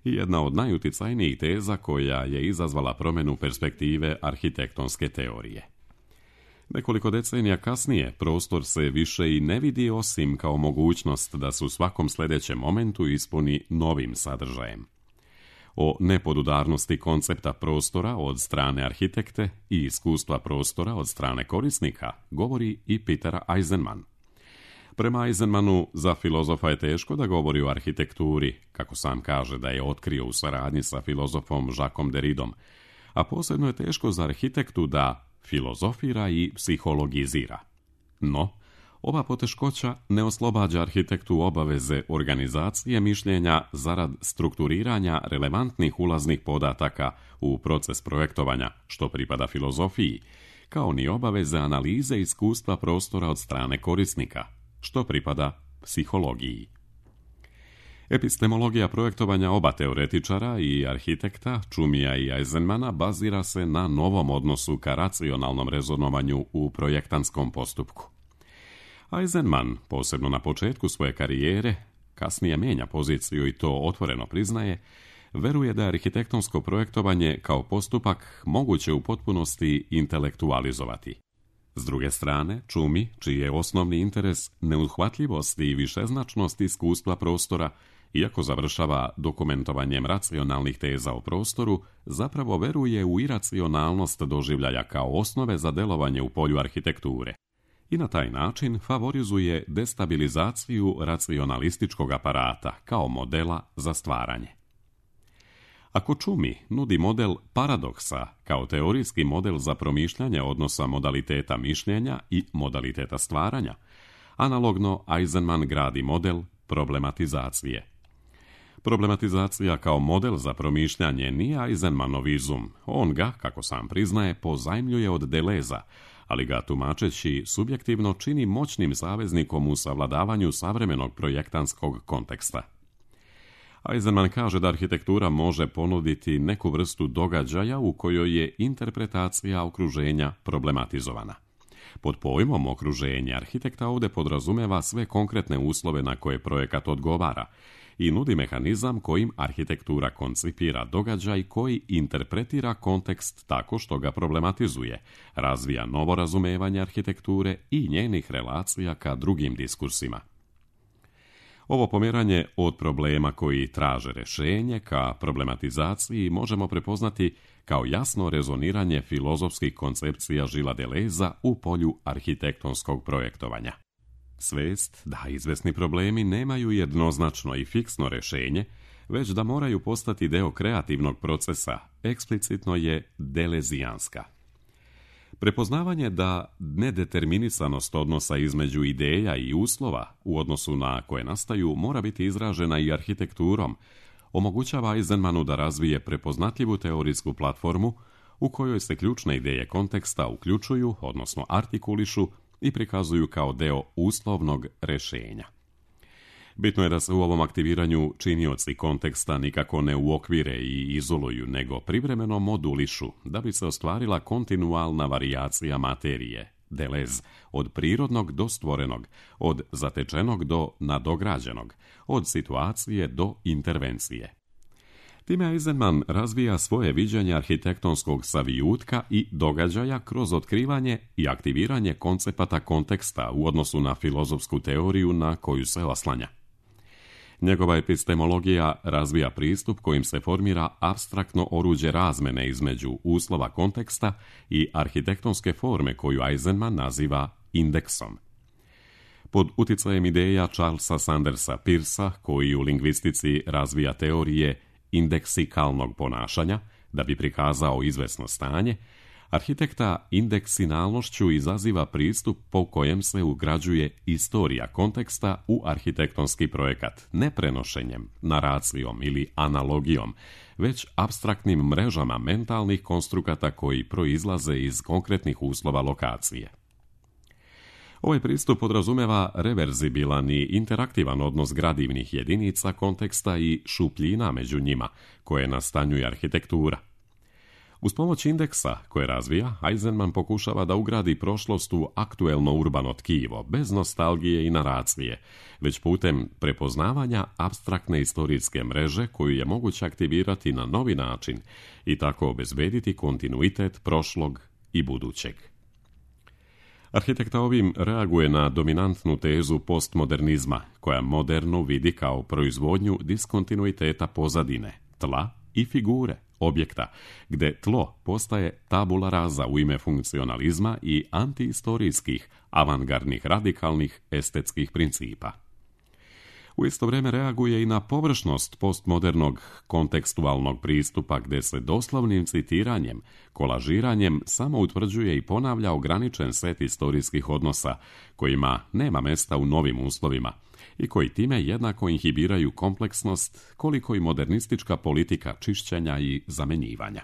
i jedna od najuticajnijih teza koja je izazvala promjenu perspektive arhitektonske teorije. Nekoliko decenija kasnije prostor se više i ne vidi osim kao mogućnost da se u svakom sljedećem momentu ispuni novim sadržajem. O nepodudarnosti koncepta prostora od strane arhitekte i iskustva prostora od strane korisnika govori i Peter Eisenman. Prema Eisenmanu, za filozofa je teško da govori o arhitekturi, kako sam kaže da je otkrio u saradnji sa filozofom Jacquesom Derridom, a posebno je teško za arhitektu da filozofira i psihologizira. No, ova poteškoća ne oslobađa arhitektu obaveze organizacije mišljenja zarad strukturiranja relevantnih ulaznih podataka u proces projektovanja, što pripada filozofiji, kao ni obaveze analize iskustva prostora od strane korisnika, što pripada psihologiji. Epistemologija projektovanja oba teoretičara i arhitekta, Čumija i Eisenmana, bazira se na novom odnosu ka racionalnom rezonovanju u projektantskom postupku. Eisenman, posebno na početku svoje karijere, kasnije mijenja poziciju i to otvoreno priznaje, veruje da je arhitektonsko projektovanje kao postupak moguće u potpunosti intelektualizovati. S druge strane, Čumi, čiji je osnovni interes neuhvatljivost i višeznačnost iskustva prostora, iako završava dokumentovanjem racionalnih teza o prostoru, zapravo veruje u iracionalnost doživljaja kao osnove za delovanje u polju arhitekture i na taj način favorizuje destabilizaciju racionalističkog aparata kao modela za stvaranje. Ako Čumi nudi model paradoksa kao teorijski model za promišljanje odnosa modaliteta mišljenja i modaliteta stvaranja, analogno Eisenman gradi model problematizacije. Problematizacija kao model za promišljanje nije Eisenmanov izum, on ga, kako sam priznaje, pozajmljuje od Deleza, ali ga tumačeći subjektivno čini moćnim saveznikom u savladavanju savremenog projektantskog konteksta. Eisenman kaže da arhitektura može ponuditi neku vrstu događaja u kojoj je interpretacija okruženja problematizovana. Pod pojmom okruženja arhitekta ovdje podrazumeva sve konkretne uslove na koje projekat odgovara i nudi mehanizam kojim arhitektura koncipira događaj koji interpretira kontekst tako što ga problematizuje, razvija novo razumevanje arhitekture i njenih relacija ka drugim diskursima. Ovo pomjeranje od problema koji traže rješenje ka problematizaciji možemo prepoznati kao jasno rezoniranje filozofskih koncepcija Gillesa Deleza u polju arhitektonskog projektovanja. Svest da izvesni problemi nemaju jednoznačno i fiksno rješenje, već da moraju postati deo kreativnog procesa, eksplicitno je delezijanska. Prepoznavanje da nedeterminisanost odnosa između ideja i uslova u odnosu na koje nastaju mora biti izražena i arhitekturom, omogućava Eisenmanu da razvije prepoznatljivu teorijsku platformu u kojoj se ključne ideje konteksta uključuju, odnosno artikulišu i prikazuju kao deo uslovnog rješenja. Bitno je da se u ovom aktiviranju činioci konteksta nikako ne uokvire i izoluju, nego privremeno modulišu, da bi se ostvarila kontinualna varijacija materije, delez, od prirodnog do stvorenog, od zatečenog do nadograđenog, od situacije do intervencije. Time Eisenman razvija svoje viđenje arhitektonskog savijutka i događaja kroz otkrivanje i aktiviranje koncepata konteksta u odnosu na filozofsku teoriju na koju se oslanja. Njegova epistemologija razvija pristup kojim se formira apstraktno oruđe razmene između uslova konteksta i arhitektonske forme koju Eisenman naziva indeksom. Pod uticajem ideja Charlesa Sandersa Peirsa, koji u lingvistici razvija teorije indeksikalnog ponašanja, da bi prikazao izvesno stanje, arhitekta indeksinalnošću izaziva pristup po kojem se ugrađuje istorija konteksta u arhitektonski projekat, ne prenošenjem, naracijom ili analogijom, već apstraktnim mrežama mentalnih konstrukata koji proizlaze iz konkretnih uslova lokacije. Ovaj pristup podrazumeva reverzibilan i interaktivan odnos gradivnih jedinica konteksta i šupljina među njima, koje nastanjuje arhitektura. Uz pomoć indeksa koje razvija, Eisenman pokušava da ugradi prošlost u aktuelno urbano tkivo, bez nostalgije i naracije, već putem prepoznavanja apstraktne istorijske mreže koju je moguće aktivirati na novi način i tako obezbediti kontinuitet prošlog i budućeg. Arhitekta ovim reaguje na dominantnu tezu postmodernizma, koja modernu vidi kao proizvodnju diskontinuiteta pozadine, tla i figure, objekta, gde tlo postaje tabula rasa u ime funkcionalizma i antihistorijskih, avangardnih, radikalnih, estetskih principa. U isto vrijeme reaguje i na površnost postmodernog kontekstualnog pristupa gdje se doslovnim citiranjem, kolažiranjem samo utvrđuje i ponavlja ograničen set historijskih odnosa kojima nema mesta u novim uslovima i koji time jednako inhibiraju kompleksnost koliko i modernistička politika čišćenja i zamenjivanja.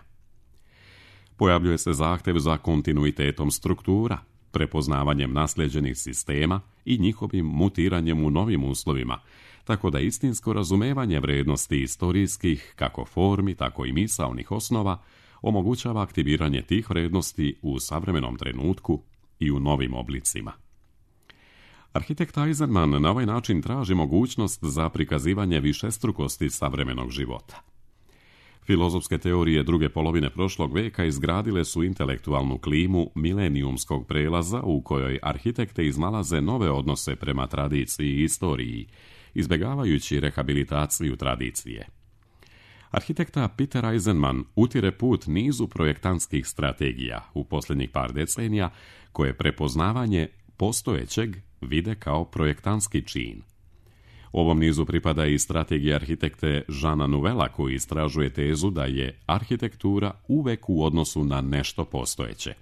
Pojavljuje se zahtjev za kontinuitetom struktura, prepoznavanjem nasljeđenih sistema i njihovim mutiranjem u novim uslovima, tako da istinsko razumevanje vrijednosti istorijskih, kako formi, tako i misaonih osnova, omogućava aktiviranje tih vrijednosti u savremenom trenutku i u novim oblicima. Arhitekt Eisenman na ovaj način traži mogućnost za prikazivanje višestrukosti savremenog života. Filozofske teorije druge polovine prošlog veka izgradile su intelektualnu klimu milenijumskog prelaza u kojoj arhitekte iznalaze nove odnose prema tradiciji i istoriji, izbjegavajući rehabilitaciju tradicije. Arhitekta Peter Eisenman utire put nizu projektantskih strategija u posljednjih par decenija koje prepoznavanje postojećeg vide kao projektantski čin. Ovom nizu pripada i strategija arhitekte Jeana Nouvella koji istražuje tezu da je arhitektura uvek u odnosu na nešto postojeće.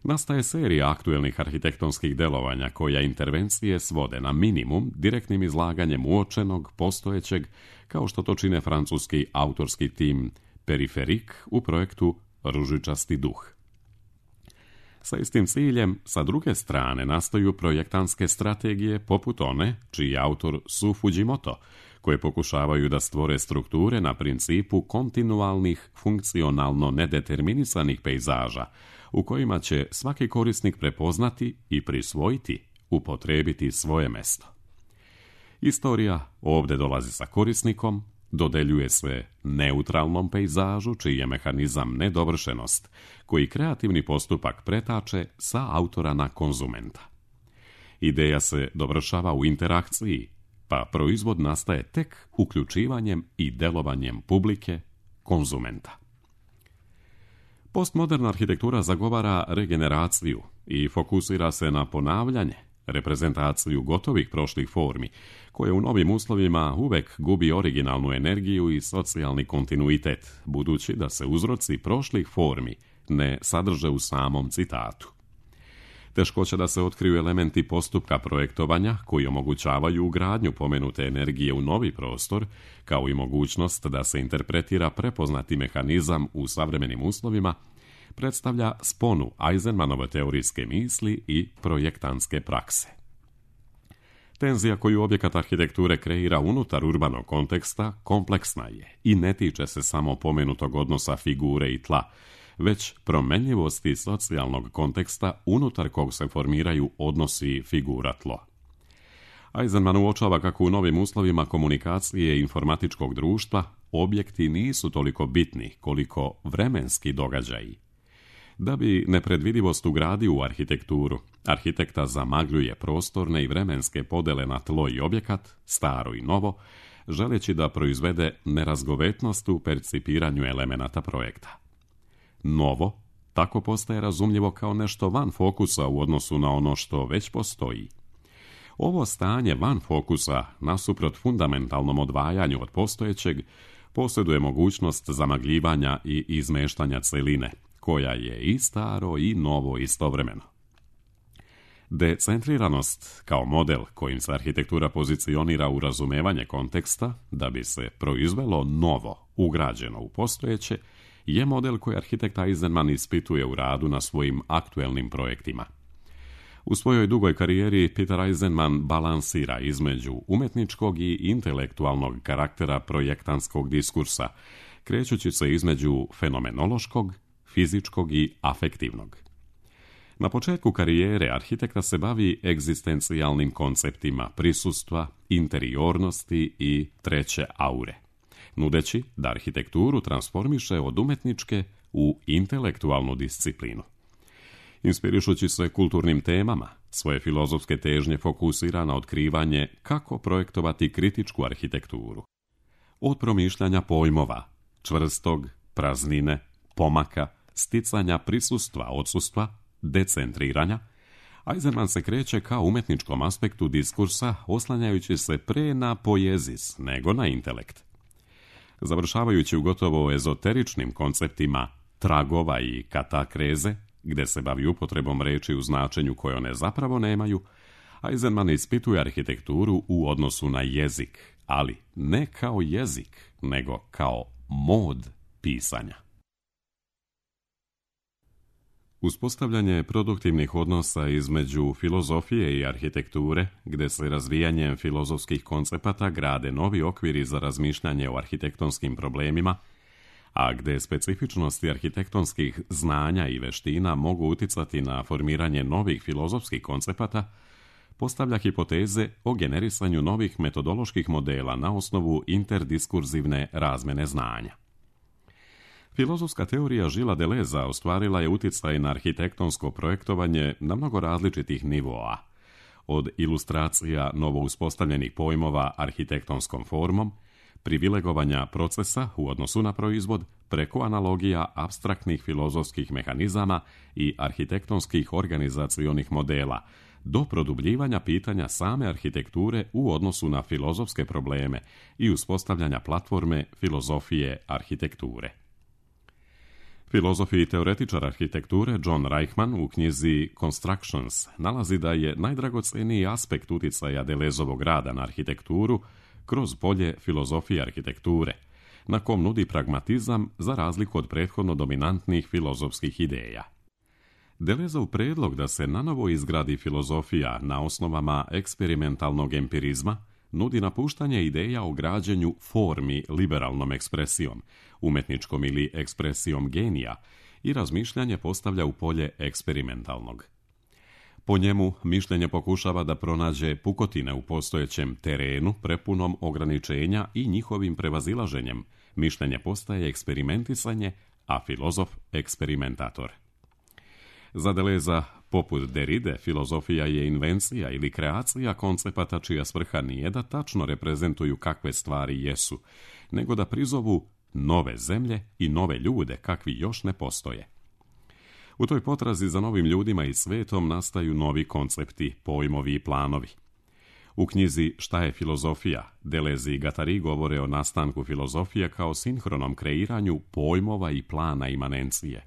Nastaje serija aktuelnih arhitektonskih delovanja koja intervencije svode na minimum direktnim izlaganjem uočenog, postojećeg, kao što to čine francuski autorski tim Periferik u projektu Ružičasti duh. Sa istim ciljem, sa druge strane, nastaju projektantske strategije poput one, čiji je autor Su Fujimoto, koje pokušavaju da stvore strukture na principu kontinualnih, funkcionalno nedeterminisanih pejzaža, u kojima će svaki korisnik prepoznati i prisvojiti, upotrijebiti svoje mesto. Istorija ovdje dolazi sa korisnikom, dodeljuje se neutralnom pejzažu, čiji je mehanizam nedovršenost, koji kreativni postupak pretače sa autora na konzumenta. Ideja se dovršava u interakciji, pa proizvod nastaje tek uključivanjem i delovanjem publike, konzumenta. Postmoderna arhitektura zagovara regeneraciju i fokusira se na ponavljanje, reprezentaciju gotovih prošlih formi, koje u novim uslovima uvek gubi originalnu energiju i socijalni kontinuitet, budući da se uzroci prošlih formi ne sadrže u samom citatu. Teškoće da se otkriju elementi postupka projektovanja koji omogućavaju ugradnju pomenute energije u novi prostor, kao i mogućnost da se interpretira prepoznati mehanizam u savremenim uslovima, predstavlja sponu Eisenmanove teorijske misli i projektantske prakse. Tenzija koju objekat arhitekture kreira unutar urbanog konteksta kompleksna je i ne tiče se samo pomenutog odnosa figure i tla, već promenljivosti socijalnog konteksta unutar kog se formiraju odnosi figura-tlo. Eisenman uočava kako u novim uslovima komunikacije i informatičkog društva objekti nisu toliko bitni koliko vremenski događaji. Da bi nepredvidivost ugradio u arhitekturu, arhitekta zamagljuje prostorne i vremenske podele na tlo i objekat, staro i novo, želeći da proizvede nerazgovetnost u percipiranju elemenata projekta. Novo tako postaje razumljivo kao nešto van fokusa u odnosu na ono što već postoji. Ovo stanje van fokusa, nasuprot fundamentalnom odvajanju od postojećeg, posjeduje mogućnost zamagljivanja i izmeštanja celine, koja je i staro i novo istovremeno. Decentriranost kao model kojim se arhitektura pozicionira u razumevanje konteksta da bi se proizvelo novo ugrađeno u postojeće je model koji arhitekt Eisenman ispituje u radu na svojim aktuelnim projektima. U svojoj dugoj karijeri Peter Eisenman balansira između umetničkog i intelektualnog karaktera projektantskog diskursa, krećući se između fenomenološkog, fizičkog i afektivnog. Na početku karijere arhitekta se bavi egzistencijalnim konceptima prisustva, interiornosti i treće aure, nudeći da arhitekturu transformiše od umetničke u intelektualnu disciplinu. Inspirišući se kulturnim temama, svoje filozofske težnje fokusira na otkrivanje kako projektovati kritičku arhitekturu. Od promišljanja pojmova, čvrstog, praznine, pomaka, sticanja prisustva, odsustva, decentriranja, Eisenman se kreće ka umetničkom aspektu diskursa oslanjajući se pre na poezis nego na intelekt. Završavajući u gotovo ezoteričnim konceptima tragova i katakreze, gde se bavi upotrebom reči u značenju koje one zapravo nemaju, Eisenman ispituje arhitekturu u odnosu na jezik, ali ne kao jezik, nego kao mod pisanja. Uspostavljanje produktivnih odnosa između filozofije i arhitekture, gde se razvijanjem filozofskih koncepata grade novi okviri za razmišljanje o arhitektonskim problemima, a gde specifičnosti arhitektonskih znanja i veština mogu uticati na formiranje novih filozofskih koncepata, postavlja hipoteze o generisanju novih metodoloških modela na osnovu interdiskurzivne razmene znanja. Filozofska teorija Gillesa Deleuza ostvarila je uticaj na arhitektonsko projektovanje na mnogo različitih nivoa, od ilustracija novouspostavljenih pojmova arhitektonskom formom, privilegovanja procesa u odnosu na proizvod, preko analogija apstraktnih filozofskih mehanizama i arhitektonskih organizacionih modela, do produbljivanja pitanja same arhitekture u odnosu na filozofske probleme i uspostavljanja platforme filozofije arhitekture. Filozof i teoretičar arhitekture John Reichman u knjizi Constructions nalazi da je najdragoceniji aspekt uticaja Deleuzovog rada na arhitekturu kroz polje filozofije arhitekture, na kom nudi pragmatizam za razliku od prethodno dominantnih filozofskih ideja. Deleuzov predlog da se nanovo izgradi filozofija na osnovama eksperimentalnog empirizma nudi napuštanje ideja o građenju formi liberalnom ekspresijom, umetničkom ili ekspresijom genija i razmišljanje postavlja u polje eksperimentalnog. Po njemu mišljenje pokušava da pronađe pukotine u postojećem terenu prepunom ograničenja i njihovim prevazilaženjem. Mišljenje postaje eksperimentisanje, a filozof eksperimentator. Za Deleuza, poput Derride, filozofija je invencija ili kreacija koncepata čija svrha nije da tačno reprezentuju kakve stvari jesu, nego da prizovu nove zemlje i nove ljude kakvi još ne postoje. U toj potrazi za novim ljudima i svetom nastaju novi koncepti, pojmovi i planovi. U knjizi Šta je filozofija, Deleuze i Guattari govore o nastanku filozofije kao sinhronom kreiranju pojmova i plana imanencije.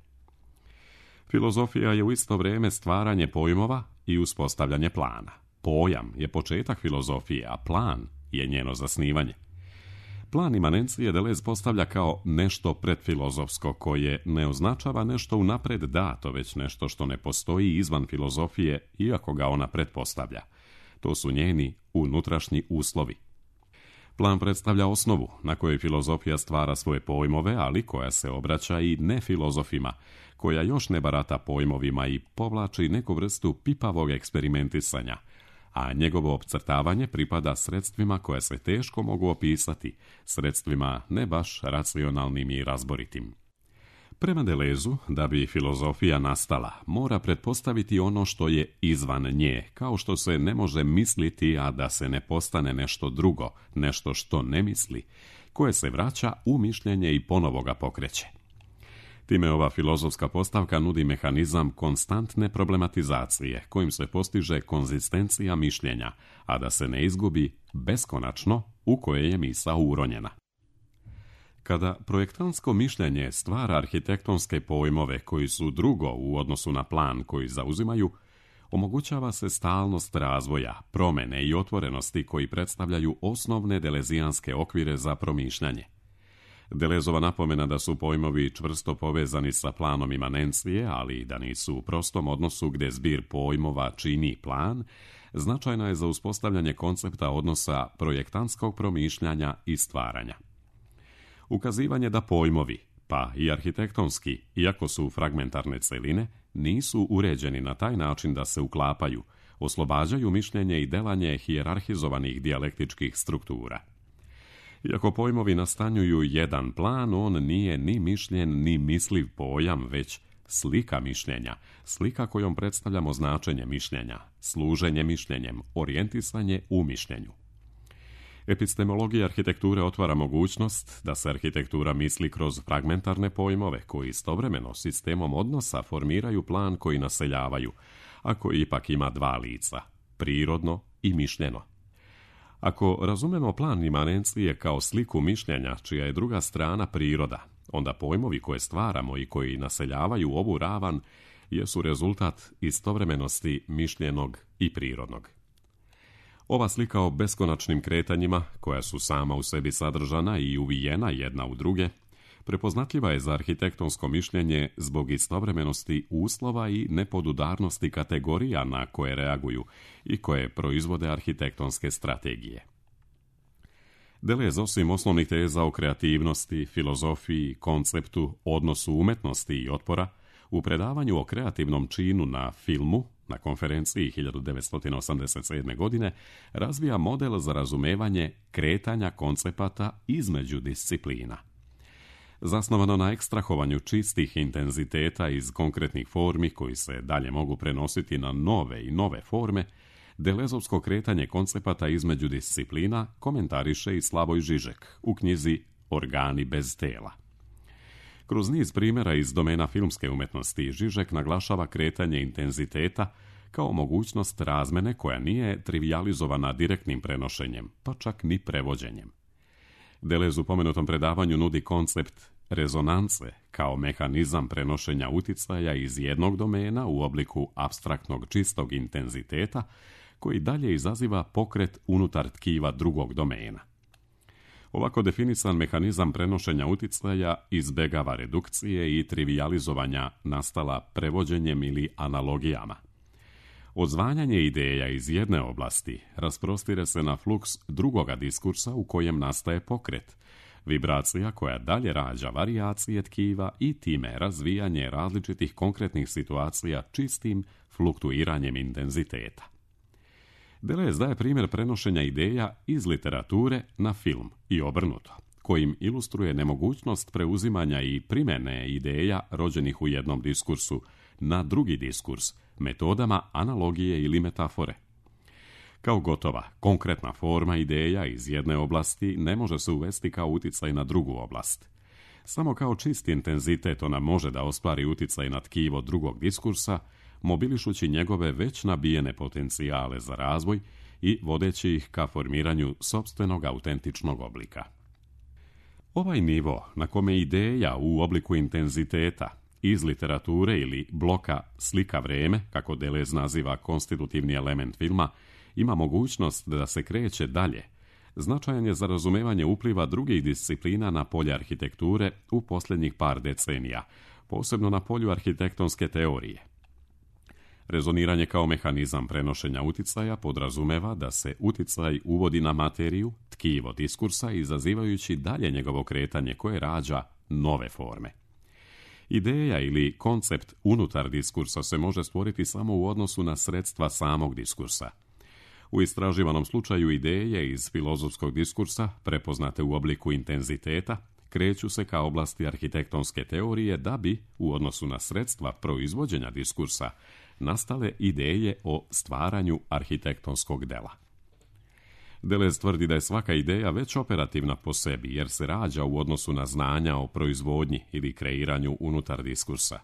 Filozofija je u isto vrijeme stvaranje pojmova i uspostavljanje plana. Pojam je početak filozofije, a plan je njeno zasnivanje. Plan imanencije Deleuze postavlja kao nešto predfilozofsko koje ne označava nešto unapred dato, već nešto što ne postoji izvan filozofije, iako ga ona pretpostavlja. To su njeni unutrašnji uslovi. Plan predstavlja osnovu na kojoj filozofija stvara svoje pojmove, ali koja se obraća i nefilozofima, koja još ne barata pojmovima i povlači neku vrstu pipavog eksperimentisanja, a njegovo opcrtavanje pripada sredstvima koje se teško mogu opisati, sredstvima ne baš racionalnim i razboritim. Prema Delezu, da bi filozofija nastala, mora pretpostaviti ono što je izvan nje, kao što se ne može misliti, a da se ne postane nešto drugo, nešto što ne misli, koje se vraća u mišljenje i ponovo ga pokreće. Time ova filozofska postavka nudi mehanizam konstantne problematizacije, kojim se postiže konzistencija mišljenja, a da se ne izgubi beskonačno u koje je misao uronjena. Kada projektantsko mišljenje stvara arhitektonske pojmove koji su drugo u odnosu na plan koji zauzimaju, omogućava se stalnost razvoja, promene i otvorenosti koji predstavljaju osnovne delezijanske okvire za promišljanje. Delezova napomena da su pojmovi čvrsto povezani sa planom imanencije, ali da nisu u prostom odnosu gdje zbir pojmova čini plan, značajna je za uspostavljanje koncepta odnosa projektantskog promišljanja i stvaranja. Ukazivanje da pojmovi, pa i arhitektonski, iako su fragmentarne celine, nisu uređeni na taj način da se uklapaju, oslobađaju mišljenje i delanje hijerarhizovanih dijalektičkih struktura. Iako pojmovi nastanjuju jedan plan, on nije ni mišljen ni misliv pojam, već slika mišljenja, slika kojom predstavljamo značenje mišljenja, služenje mišljenjem, orijentisanje u mišljenju. Epistemologija arhitekture otvara mogućnost da se arhitektura misli kroz fragmentarne pojmove koji istovremeno sistemom odnosa formiraju plan koji naseljavaju, a koji ipak ima dva lica, prirodno i mišljeno. Ako razumemo plan imanencije kao sliku mišljenja čija je druga strana priroda, onda pojmovi koje stvaramo i koji naseljavaju ovu ravan jesu rezultat istovremenosti mišljenog i prirodnog. Ova slika o beskonačnim kretanjima, koja su sama u sebi sadržana i uvijena jedna u druge, prepoznatljiva je za arhitektonsko mišljenje zbog istovremenosti uslova i nepodudarnosti kategorija na koje reaguju i koje proizvode arhitektonske strategije. Deleuze osim osnovnih teza o kreativnosti, filozofiji, konceptu, odnosu umetnosti i otpora, u predavanju o kreativnom činu na filmu, na konferenciji 1987. godine, razvija model za razumevanje kretanja koncepata između disciplina. Zasnovano na ekstrahovanju čistih intenziteta iz konkretnih formi koji se dalje mogu prenositi na nove i nove forme, Delezovsko kretanje koncepata između disciplina komentariše i Slavoj Žižek u knjizi Organi bez tela. Kroz niz primjera iz domena filmske umetnosti Žižek naglašava kretanje intenziteta kao mogućnost razmene koja nije trivijalizovana direktnim prenošenjem, pa čak ni prevođenjem. Deleuze u pomenutom predavanju nudi koncept rezonance kao mehanizam prenošenja uticaja iz jednog domena u obliku apstraktnog čistog intenziteta koji dalje izaziva pokret unutar tkiva drugog domena. Ovako definisan mehanizam prenošenja uticaja izbegava redukcije i trivijalizovanja nastala prevođenjem ili analogijama. Odzvanjanje ideja iz jedne oblasti rasprostire se na fluks drugoga diskursa u kojem nastaje pokret, vibracija koja dalje rađa varijacije tkiva i time razvijanje različitih konkretnih situacija čistim fluktuiranjem intenziteta. Deleuze daje primjer prenošenja ideja iz literature na film i obrnuto, kojim ilustruje nemogućnost preuzimanja i primjene ideja rođenih u jednom diskursu na drugi diskurs, metodama analogije ili metafore. Kao gotova, konkretna forma ideja iz jedne oblasti ne može se uvesti kao uticaj na drugu oblast. Samo kao čisti intenzitet ona može da ostvari uticaj na tkivo drugog diskursa, mobilišući njegove već nabijene potencijale za razvoj i vodeći ih ka formiranju sopstvenog autentičnog oblika. Ovaj nivo na kome ideja u obliku intenziteta iz literature ili bloka slika vreme, kako Deleuze naziva konstitutivni element filma, ima mogućnost da se kreće dalje, značajan je za razumevanje upliva drugih disciplina na polje arhitekture u posljednjih par decenija, posebno na polju arhitektonske teorije. Rezoniranje kao mehanizam prenošenja uticaja podrazumeva da se uticaj uvodi na materiju, tkivo diskursa, izazivajući dalje njegovo kretanje koje rađa nove forme. Ideja ili koncept unutar diskursa se može stvoriti samo u odnosu na sredstva samog diskursa. U istraživanom slučaju ideje iz filozofskog diskursa, prepoznate u obliku intenziteta, kreću se ka oblasti arhitektonske teorije da bi, u odnosu na sredstva proizvođenja diskursa, nastale ideje o stvaranju arhitektonskog dela. Deleuze tvrdi da je svaka ideja već operativna po sebi, jer se rađa u odnosu na znanja o proizvodnji ili kreiranju unutar diskursa.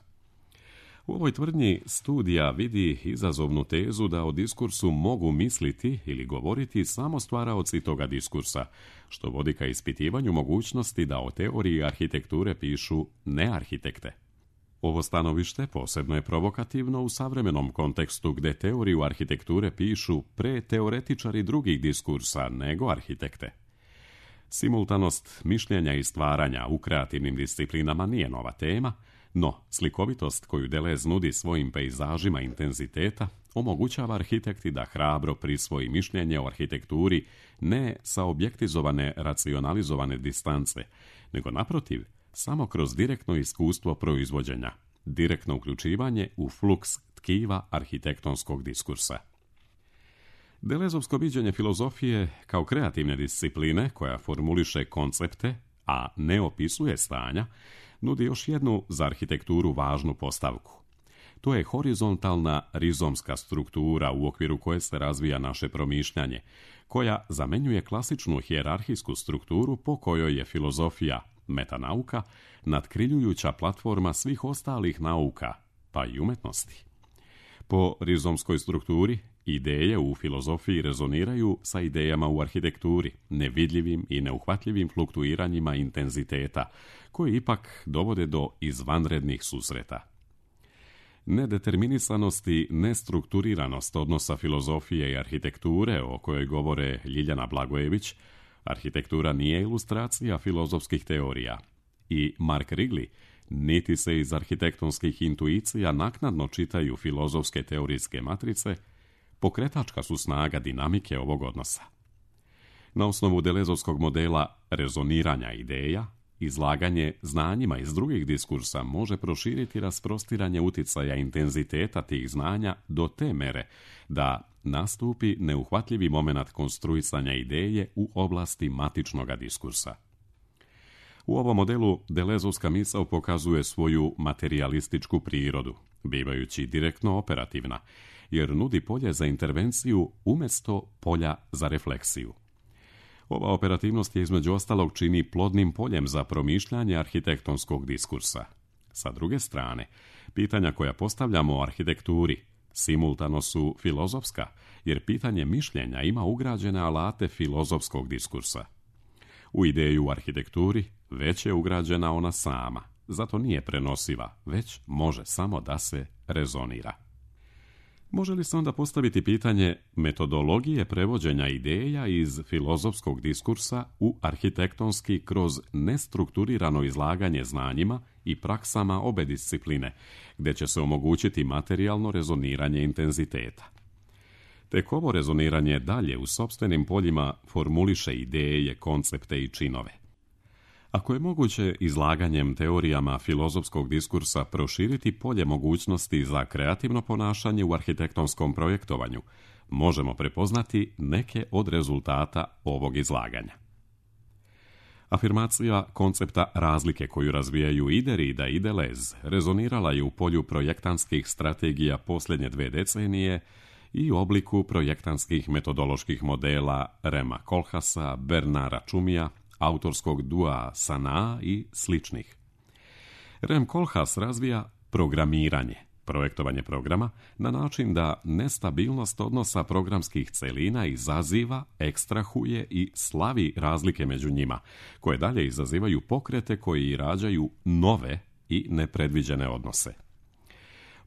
U ovoj tvrdnji studija vidi izazovnu tezu da o diskursu mogu misliti ili govoriti samo stvaraoci toga diskursa, što vodi ka ispitivanju mogućnosti da o teoriji arhitekture pišu nearhitekte. Ovo stanovište posebno je provokativno u savremenom kontekstu gde teoriju arhitekture pišu pre teoretičari drugih diskursa nego arhitekte. Simultanost mišljenja i stvaranja u kreativnim disciplinama nije nova tema, no slikovitost koju Deleuze nudi svojim pejzažima intenziteta omogućava arhitekti da hrabro prisvoji mišljenje o arhitekturi ne sa objektizovane, racionalizovane distance, nego naprotiv, samo kroz direktno iskustvo proizvođenja, direktno uključivanje u fluks tkiva arhitektonskog diskursa. Deleuzeovsko viđenje filozofije kao kreativne discipline koja formuliše koncepte, a ne opisuje stanja, nudi još jednu za arhitekturu važnu postavku. To je horizontalna rizomska struktura u okviru koje se razvija naše promišljanje, koja zamenjuje klasičnu hijerarhijsku strukturu po kojoj je filozofija, metanauka, nadkriljujuća platforma svih ostalih nauka, pa i umetnosti. Po rizomskoj strukturi, ideje u filozofiji rezoniraju sa idejama u arhitekturi, nevidljivim i neuhvatljivim fluktuiranjima intenziteta, koji ipak dovode do izvanrednih susreta. Nedeterminisanost i nestrukturiranost odnosa filozofije i arhitekture, o kojoj govore Ljiljana Blagojević, arhitektura nije ilustracija filozofskih teorija, i Mark Wrigley, niti se iz arhitektonskih intuicija naknadno čitaju filozofske teorijske matrice, pokretačka su snaga dinamike ovog odnosa. Na osnovu Deleuzeovskog modela rezoniranja ideja, izlaganje znanjima iz drugih diskursa može proširiti rasprostiranje uticaja intenziteta tih znanja do te mere da nastupi neuhvatljivi momenat konstruisanja ideje u oblasti matičnog diskursa. U ovom modelu Deleuzeovska misao pokazuje svoju materijalističku prirodu, bivajući direktno operativna, jer nudi polje za intervenciju umjesto polja za refleksiju. Ova operativnost je između ostalog čini plodnim poljem za promišljanje arhitektonskog diskursa. Sa druge strane, pitanja koja postavljamo o arhitekturi simultano su filozofska, jer pitanje mišljenja ima ugrađene alate filozofskog diskursa. U ideju u arhitekturi već je ugrađena ona sama, zato nije prenosiva, već može samo da se rezonira. Može li se onda postaviti pitanje metodologije prevođenja ideja iz filozofskog diskursa u arhitektonski kroz nestrukturirano izlaganje znanjima i praksama obe discipline, gdje će se omogućiti materijalno rezoniranje intenziteta? Tek ovo rezoniranje dalje u sopstvenim poljima formuliše ideje, koncepte i činove. Ako je moguće izlaganjem teorijama filozofskog diskursa proširiti polje mogućnosti za kreativno ponašanje u arhitektonskom projektovanju, možemo prepoznati neke od rezultata ovog izlaganja. Afirmacija koncepta razlike koju razvijaju i Derrida i Deleuze rezonirala je u polju projektantskih strategija posljednje 2 decenije i u obliku projektantskih metodoloških modela Rema Koolhaasa, Bernarda Tschumija, autorskog dua Sanaa i sličnih. Rem Koolhaas razvija programiranje, projektovanje programa, na način da nestabilnost odnosa programskih celina izaziva, ekstrahuje i slavi razlike među njima, koje dalje izazivaju pokrete koji rađaju nove i nepredviđene odnose.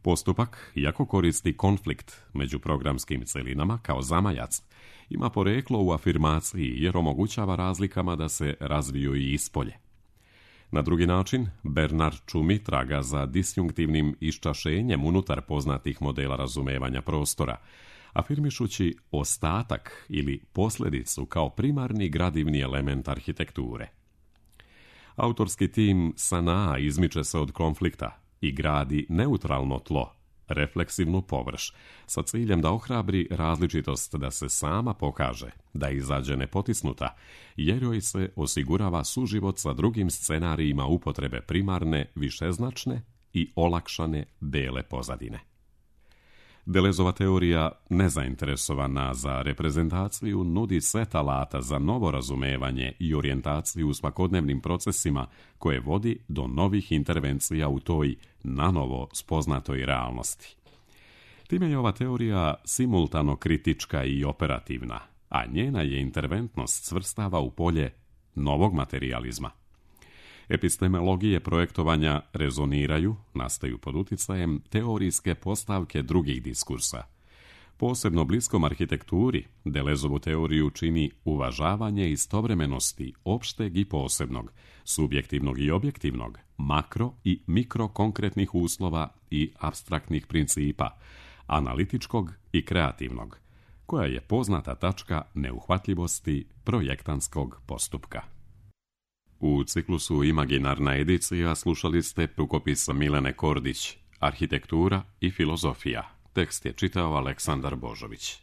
Postupak, iako koristi konflikt među programskim celinama kao zamajac, ima poreklo u afirmaciji jer omogućava razlikama da se razviju i ispolje. Na drugi način, Bernard Tschumi traga za disjunktivnim iščašenjem unutar poznatih modela razumevanja prostora, afirmišući ostatak ili posljedicu kao primarni gradivni element arhitekture. Autorski tim Sanaa izmiče se od konflikta i gradi neutralno tlo, refleksivnu površ, sa ciljem da ohrabri različitost da se sama pokaže, da izađe nepotisnuta, jer joj se osigurava suživot sa drugim scenarijima upotrebe primarne, višeznačne i olakšane bele pozadine. Delezova teorija, nezainteresovana za reprezentaciju, nudi set alata za novo razumevanje i orijentaciju u svakodnevnim procesima koje vodi do novih intervencija u toj nanovo spoznatoj realnosti. Time je ova teorija simultano kritička i operativna, a njena je interventnost svrstava u polje novog materijalizma. Epistemologije projektovanja rezoniraju, nastaju pod uticajem teorijske postavke drugih diskursa. Posebno bliskom arhitekturi Delezovu teoriju čini uvažavanje istovremenosti opšteg i posebnog, subjektivnog i objektivnog, makro i mikrokonkretnih uslova i apstraktnih principa, analitičkog i kreativnog, koja je poznata tačka neuhvatljivosti projektantskog postupka. U ciklusu Imaginarna edicija slušali ste rukopis Milene Kordić, Arhitektura i filozofija. Tekst je čitao Aleksandar Božović.